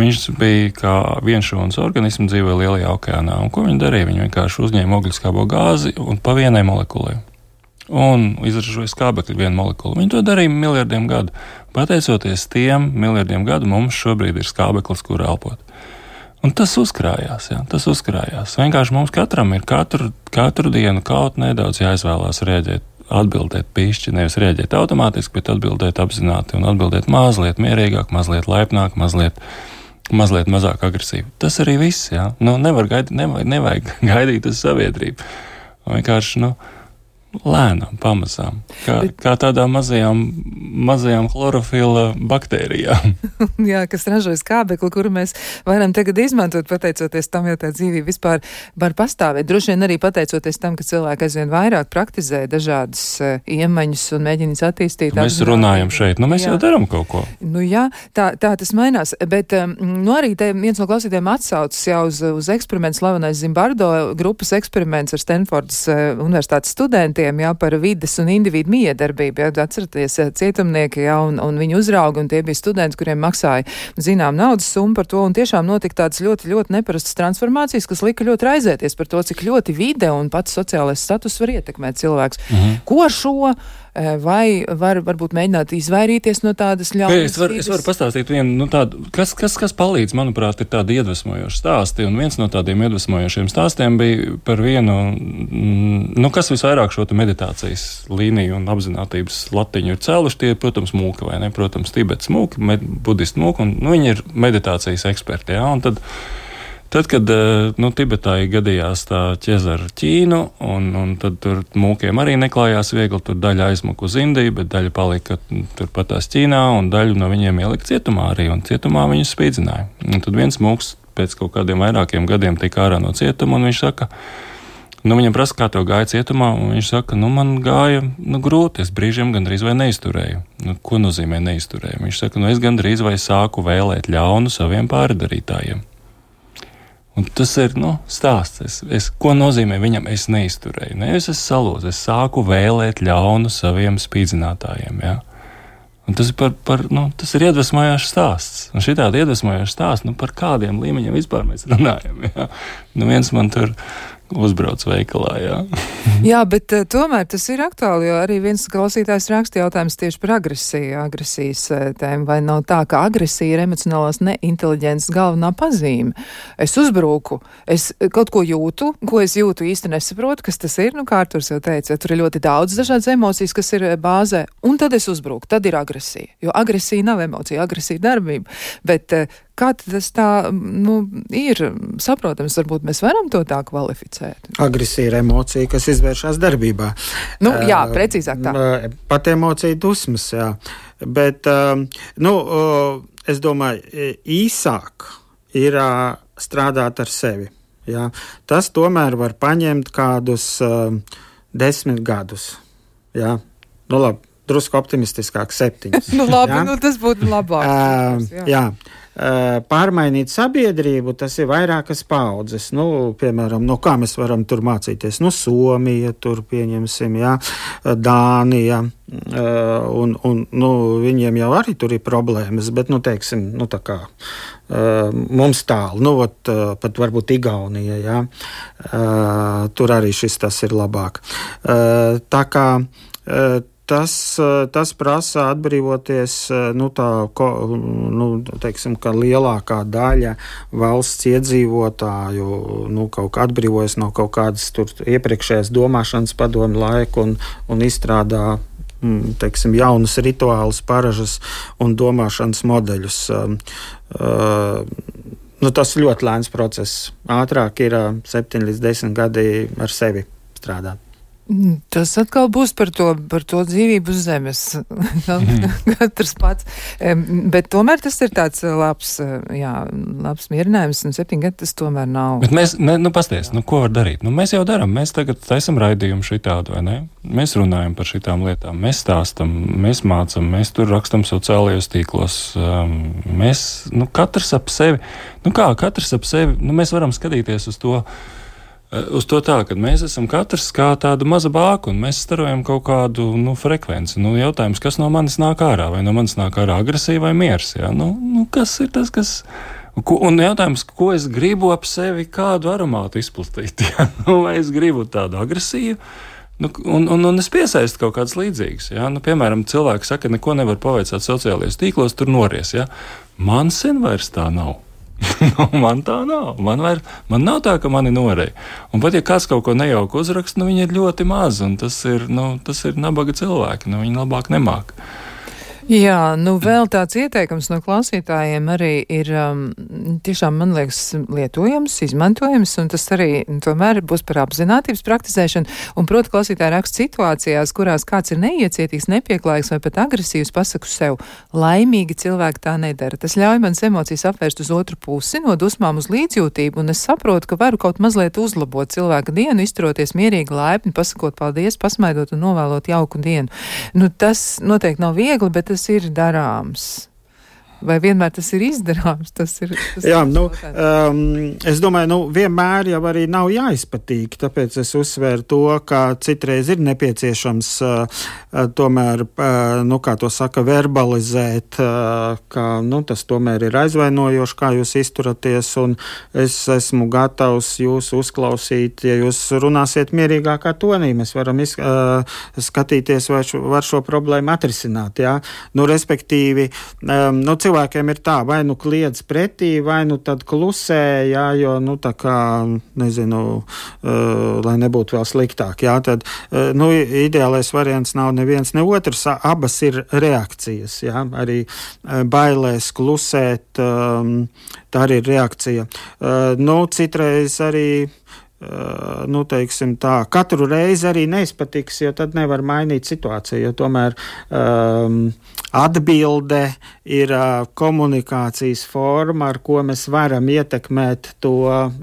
viņš bija kā vienšūnas organismu dzīvoja lielajā okeānā. Un ko viņi darīja? Viņi vienkārši uzņēma ogliskābo gāzi un pa vienai molekulai. Un izražoja skābekļu vienu molekulu. Viņi to darīja miljardiem gadu. Pateicoties tiem miljardiem gadu, mums šobrīd ir skābeklis, kur elpot. Un tas uzkrājās, jā, tas uzkrājās. Vienkārši mums katram ir katru, katru dienu kaut nedaudz jāizvēlās rēģēt, atbildēt pīšķi, nevis rēģēt automātiski, bet atbildēt apzināti un atbildēt mazliet mierīgāk, mazliet laipnāk, mazliet, mazliet mazāk agresīvi. Tas arī viss, jā. Nu, nevar gaidīt, nevajag, nevajag gaidīt uz sabiedrību. Vienkārši, nu, lēnām, pamazām, kā, kā tādām mazajām, mazajām chlorofila baktērijām. Jā, kas ražoja skābekli, kuru mēs varam tagad izmantot, pateicoties tam, jo tā dzīvība vispār var pastāvēt. Droši vien arī pateicoties tam, ka cilvēki aizvien vairāk praktizē dažādas uh, iemaņas un mēģinās attīstīt. Mēs apzināt. runājam šeit, nu mēs jā. jau daram kaut ko. Nu jā, tā, tā tas mainās, bet um, nu arī te viens no klausītājiem atsaucas jau uz, uz eksperimentu slavenais Zimbardo grupas eksperiments ar Stanfordas uh, universitātes studentiem, jā, par vides un individu miedarbību, jā, atceraties cietumnieki, jā, un, un viņi uzrauga, un tie bija studenti, kuriem maksāja zinām naudas summu par to, un tiešām notika tādas ļoti, ļoti neparastas transformācijas, kas lika ļoti raizēties par to, cik ļoti vide un pats sociālais status var ietekmēt cilvēks. Mhm. Ko ar šo vai var varbūt mēģināt izvairīties no tādas ļaunas? Es varu, es varu pastāstīt vienu, nu tādu, kas, kas, kas palīdz, manuprāt, ir tādi iedvesmojoši stāsti, un viens no tādiem iedvesmojošiem stāstiem bija par vienu, nu, kas visvairāk šo meditācijas līniju un apzinātības latiņu ir cēluši, tie, protams, mūki, vai ne, protams, Tibets mūki, med, budistu mūki, un nu, viņi ir meditācijas eksperti, jā, un tad Tad, kad nu, Tibetā gadījās tā ķeza ar Ķīnu, un, un tad tur mūkiem arī neklājās viegli, tur daļa aizmuka uz Indiju, bet daļa palika turpatās Ķīnā, un daļu no viņiem ielika cietumā arī, un cietumā viņus spīdzināja. Un tad viens mūks pēc kaut kādiem vairākiem gadiem tika ārā no cietuma, un viņš saka, nu viņam prasa, kā tev gāja cietumā, un viņš saka, nu man gāja nu, grūti, es brīžiem gandrīz vai neizturēju. Nu, ko nozīmē neizturēju? Viņš saka, nu es gandrīz vai sāku vēlēt ļaunu saviem pārdarītājiem. Un tas ir, nu, stāsts. Es, es, ko nozīmē viņam es neizturēju? Nevis es salūzu, es sāku vēlēt ļaunu saviem spīdzinātājiem, jā. Un tas ir, par, par, nu, tas ir iedvesmojošs stāsts. Un šitādi iedvesmojošs stāsts, nu, par kādiem līmeņiem vispār mēs runājam. Jā. Nu, viens man tur uzbrauc veikalā, jā. Jā, bet uh, tomēr tas ir aktuāli, jo arī viens klausītājs raksta jautājums tieši par agresiju, agresijas uh, tēmu, vai nav tā, ka agresija ir emocionālās neinteliģences galvenā pazīme. Es uzbruku, es kaut ko jūtu, ko es jūtu īsti nesaprotu, kas tas ir, nu kā Arturs jau teica, tur ir ļoti daudz dažādas emocijas, kas ir bāzē, un tad es uzbruku, tad ir agresija, jo agresija nav emocija, agresija ir darbība, bet uh, kā tas tā, nu, ir saprotams, varbūt mēs varam to tā kvalificēt? Agresija ir emocija, kas izvēršas darbībā. Nu, jā, precīzāk tā. Pat emocija dusmas, jā. Bet, nu, es domāju, īsāk ir strādāt ar sevi. Jā. Tas tomēr var paņemt kādus desmit gadus. Jā. Nu, labi, drusku optimistiskāk septiņus. Nu, labi, jā. Nu, tas būtu labāk. Uh, jā. jā. Pārmainīt sabiedrību, tas ir vairākas paudzes. Nu, piemēram, no kā mēs varam tur mācīties? Nu, Somija, tur pieņemsim, jā, Dānija, un, un nu, viņiem jau arī tur ir problēmas, bet, nu, teiksim, nu, tā kā mums tālu, nu, ot, pat varbūt Igaunija, jā, tur arī šis tas ir labāk. Tā kā Tas, tas prasa atbrīvoties, nu, tā, ko, nu, teiksim, ka lielākā daļa valsts iedzīvotāju, nu, kaut kā atbrīvojas no kaut kādas tur iepriekšējās domāšanas padomu laiku un, un izstrādā, teiksim, jaunus rituālus, paražas un domāšanas modeļus. Nu, tas ir ļoti lēns process. Ātrāk ir septiņi līdz desmit gadi ar sevi strādāt. Tas atkal būs par to, par to dzīvību uz zemes. Katrs pats. Bet tomēr tas ir tāds labs, jā, labs mierinājums, un septiņi gadi tas tomēr nav. Bet mēs, ne, nu, pasties, nu, ko var darīt? Nu, mēs jau darām, mēs tagad taisam raidījumu šitādu, vai ne? Mēs runājam par šitām lietām, mēs stāstam, mēs mācam, mēs tur rakstam sociālajos tīklos. Mēs, nu, katrs ap sevi, nu kā, katrs ap sevi, nu, mēs varam skatīties uz to, Uz to tā, ka mēs esam katrs kā tāda maza bāka, un mēs starojam kaut kādu, nu, frekvenci. Nu, jautājums, kas no manis nāk ārā? Vai no manis nāk ārā agresija vai miers? Jā? Nu, nu, kas ir tas, kas... Ko, un jautājums, ko es gribu ap sevi kādu aromātu izplatīt? Jā? Nu, vai es gribu tādu agresiju? Nu, un, un, un es piesaistu kaut kādas līdzīgas. Jā? Nu, piemēram, cilvēki saka, neko nevar pavaicāt sociālajos tīklos, tur nories. Jā? Man sen vairs tā nav. Nu, man tā nav. Man, var, man nav tā, ka mani noreja. Un pat ja kāds kaut ko nejauku uzraksta, nu viņi ir ļoti maz, un tas ir, nu, tas ir nabaga cilvēki, nu viņi labāk nemāk. Jā, nu vēl tāds ieteikums no klausītājiem arī ir um, tiešām, man liekas, lietojams, izmantojams, un tas arī tomēr būs par apzinātības praktizēšanu. Un, proti, klausītāji raksta situācijās, kurās kāds ir neiecietīgs, nepieklājīgs vai pat agresīvs, pasaku sev, laimīgi cilvēki tā nedara. Tas ļauj manas emocijas apvērst uz otru pusi, no dusmām uz līdzjūtību, un es saprotu, ka varu kaut mazliet uzlabot cilvēka dienu, izturoties mierīgi, laipni, pasakot paldies, pasmaidot un novēlot jauku dienu. Nu, tas noteikti nav viegli, bet tas ir darāms. Vai vienmēr tas ir izdarāms? Tas ir, tas Jā, ir nu, um, es domāju, nu, vienmēr jau arī nav jāizpatīk, tāpēc es uzsvēru to, ka citreiz ir nepieciešams uh, tomēr, uh, nu, kā to saka, verbalizēt, uh, ka, nu, tas tomēr ir aizvainojoši, kā jūs izturaties, un es esmu gatavs jūs uzklausīt, ja jūs runāsiet mierīgākā tonī, mēs varam iz, uh, skatīties, vai šo, var šo problēmu atrisināt, jā. Nu, respektīvi, um, nu, cilvēkiem ir tā, vai nu kliedz pretī, vai nu tad klusē, jā, jo, nu, tā kā, nezinu, uh, lai nebūtu vēl sliktāk, jā, tad, uh, nu, ideālais variants nav neviens, ne otrs, abas ir reakcijas, jā, arī uh, bailēs klusēt, um, tā arī ir reakcija. Uh, nu, citreiz arī Uh, nu, teiksim tā, katru reizi arī neizpatiks, jo tad nevar mainīt situāciju, jo tomēr um, atbilde ir uh, komunikācijas forma, ar ko mēs varam ietekmēt to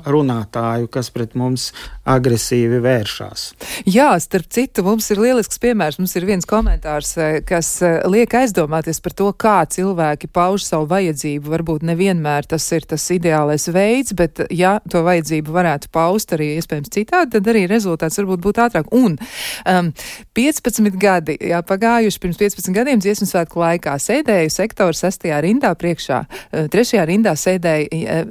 runātāju, kas pret mums agresīvi vēršās. Jā, starp citu, mums ir lielisks piemērs, mums ir viens komentārs, kas liek aizdomāties par to, kā cilvēki pauž savu vajadzību. Varbūt nevienmēr tas ir tas ideālais veids, bet ja to vajadzību varētu paust arī bija iespējams citādi, tad arī rezultāts varbūt būtu ātrāk. Un um, piecpadsmit gadi, jā, pagājuši pirms piecpadsmit gadiem dziesmu svētku laikā sēdēju sektoru sastajā rindā priekšā, trešajā rindā sēdēja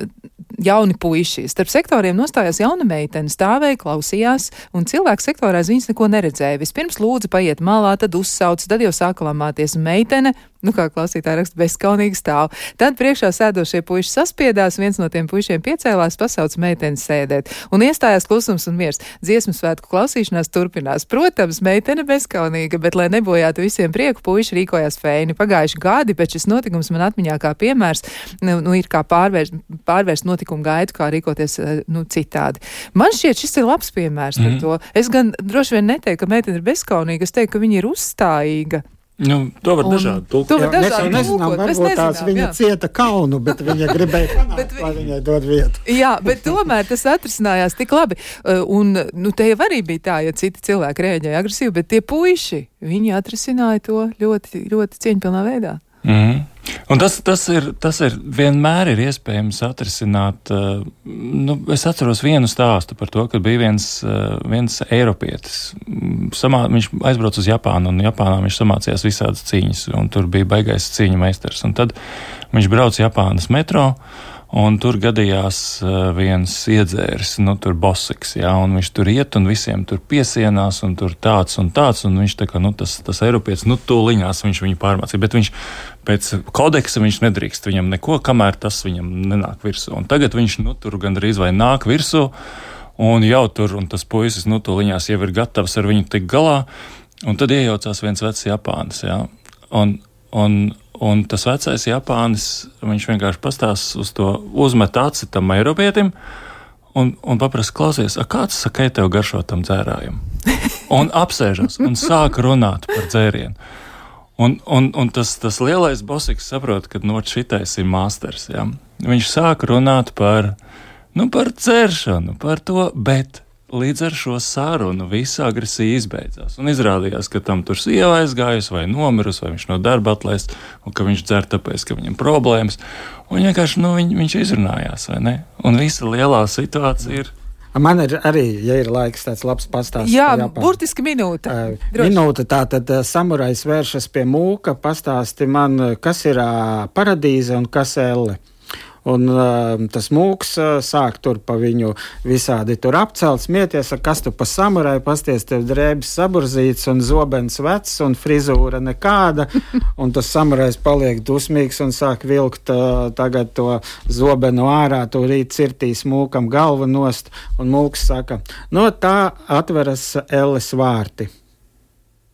jauni puiši. Starp sektoriem nostājās jauna meitene, stāvēja, klausījās, un cilvēks sektorā aiz viņas neko neredzēja. Vispirms lūdza paiet malā, tad uzsauc, tad jau sāka lamāties. Meitene, nu kā klausītāji raksta, bezskaunīgi stāv. Tad priekšā sēdošie puiši saspiedās, viens no tiem puišiem piecēlās, pasauc meiteni sēdēt. Un iestājās klusums un miers. Dziesmu svētku klausīšanās turpinās. Protams, meitene bezskaunīga, bet, lai nebojātu visiem prieku, puiši rīkojās feini. Pagājuši gadi, bet šis notikums man atmiņā kā piemērs, nu, nu ir kā pārvērst, pārvērst notikumu gaitu, kā rīkoties, nu, citādi. Man šķiet, šis ir labs piemērs par mm. to. Es gan droši vien neteiktu, ka meitene ir bezskaunīga, es teiktu, ka viņa ir uzstājīga. Nu, to var dažādi tulkot. To var dažādi mēs nezinām, tulkot. varbūt tās viņa jā. cieta kaunu, bet viņa gribēja panākt, vi... lai viņai dod vietu. Jā, bet tomēr tas atrisinājās tik labi. Un, nu, te jau arī bija tā, ja citi cilvēki rēģēja agresīvi, bet tie puiši, viņi atrisināja to ļoti, ļoti cieņpilnā veidā. Mm. Un tas, tas, ir, tas ir vienmēr ir iespējams atrisināt. Uh, nu, es atceros vienu stāstu par to, ka bija viens, uh, viens eiropietis. Samā, viņš aizbrauca uz Japānu, un Japānā viņš samācījās visādas cīņas, un tur bija baigais cīņu meistars. Un tad viņš brauca Japānas metro, un tur gadījās uh, viens iedzēris, nu, tur bosiks, jā, un viņš tur iet, un visiem tur piesienās, un tur tāds un tāds, un viņš tā kā, nu, tas, tas eiropietis, nu, tūliņās viņš viņu pārmācīja, bet viņš pēc kodeksa viņš nedrīkst viņam neko, kamēr tas viņam nenāk virsū. Un tagad viņš, nu, tur gandrīz vai nāk virsū, un jau tur, un tas puisis, nu, tūliņās jau ir gatavs ar viņu tik galā, un tad iejaucās viens vecs Japānis, jā, un, un Un tas vecais Japānis, viņš vienkārši pastās uz to, uzmet aci tam eiropietim un, un paprasa, klausies, a kāds sakai tev garšo tam dzērājam? Un apsēžas un sāk runāt par dzērienu. Un, un, un tas, tas lielais bosiks saprot, ka no šitais ir masters. Ja? Viņš sāk runāt par, nu, par dzēršanu, par to, bet līdz ar šo sarunu visa agresija izbeidzās. Un izrādījās, ka tam tur sieva aizgājusi vai nomirusi, vai viņš no darba atlaists, un ka viņš dzer tāpēc, ka viņam problēmas. Un vienkārši, nu, viņ, viņš izrunājās, vai ne? Un visa lielā situācija ir. Man ir arī, ja ir laiks, tāds labs pastāsts. Jā, burtiski minūte. Uh, minūte, tā tad uh, samurais vēršas pie mūka, pastāsti man, kas ir uh, paradīze un kas elle. Un uh, tas mūks uh, sāk tur pa viņu visādi tur apcelt, smieties, kas tu pa samurai, pasties, tev drēbis saburzīts un zobens vecs un frizūra nekāda. Un tas samurais paliek dusmīgs un sāk vilkt uh, tagad to zobenu ārā, to rīt cirtīs mūkam galvu nost. Un mūks saka, no tā atveras elles vārti.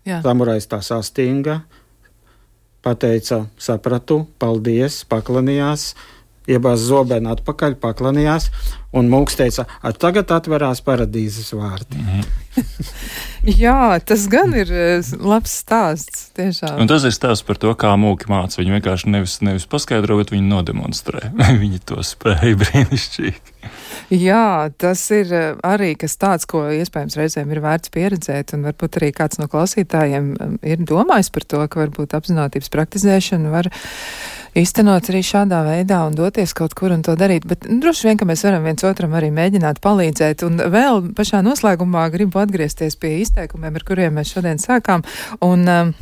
Jā. Samurais tā sastinga, pateica, sapratu, paldies, paklanījās. Iebāz zobenu atpakaļ, paklanījās, un mūks teica, tagad atverās paradīzes vārti. Mm-hmm. Jā, tas gan ir labs stāsts, tiešām. Un tas ir stāsts par to, kā mūki māca. Viņi vienkārši nevis, nevis paskaidro, bet viņi nodemonstrē. Viņi to spēja brīnišķīgi. Jā, tas ir arī kas tāds, ko iespējams reizēm ir vērts pieredzēt, un varbūt arī kāds no klausītājiem ir domājis par to, ka varbūt apzinātības praktizēšana var īstenot arī šādā veidā un doties kaut kur un to darīt, bet nu, droši vien, ka mēs varam viens otram arī mēģināt palīdzēt. Un vēl pašā noslēgumā gribu atgriezties pie izteikumiem, ar kuriem mēs šodien sākām. Un um,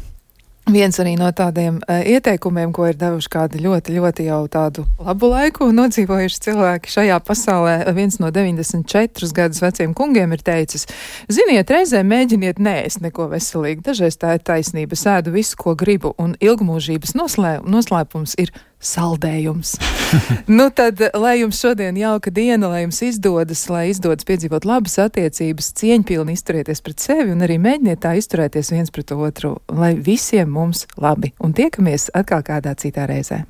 viens arī no tādiem uh, ieteikumiem, ko ir devuši kādi ļoti, ļoti jau tādu labu laiku nodzīvojuši cilvēki šajā pasaulē, viens no deviņdesmit četrus gadus veciem kungiem ir teicis, ziniet, reizē mēģiniet neēst neko veselīgi, dažreiz tā ir taisnība, sēdu visu, ko gribu, un ilgmūžības noslē, noslēpums ir saldējums. Nu tad, lai jums šodien jauka diena, lai jums izdodas, lai izdodas piedzīvot labas attiecības, cieņpilni izturieties pret sevi un arī mēģiniet tā izturēties viens pret otru, lai visiem mums labi. Un tiekamies atkal kādā citā reizē.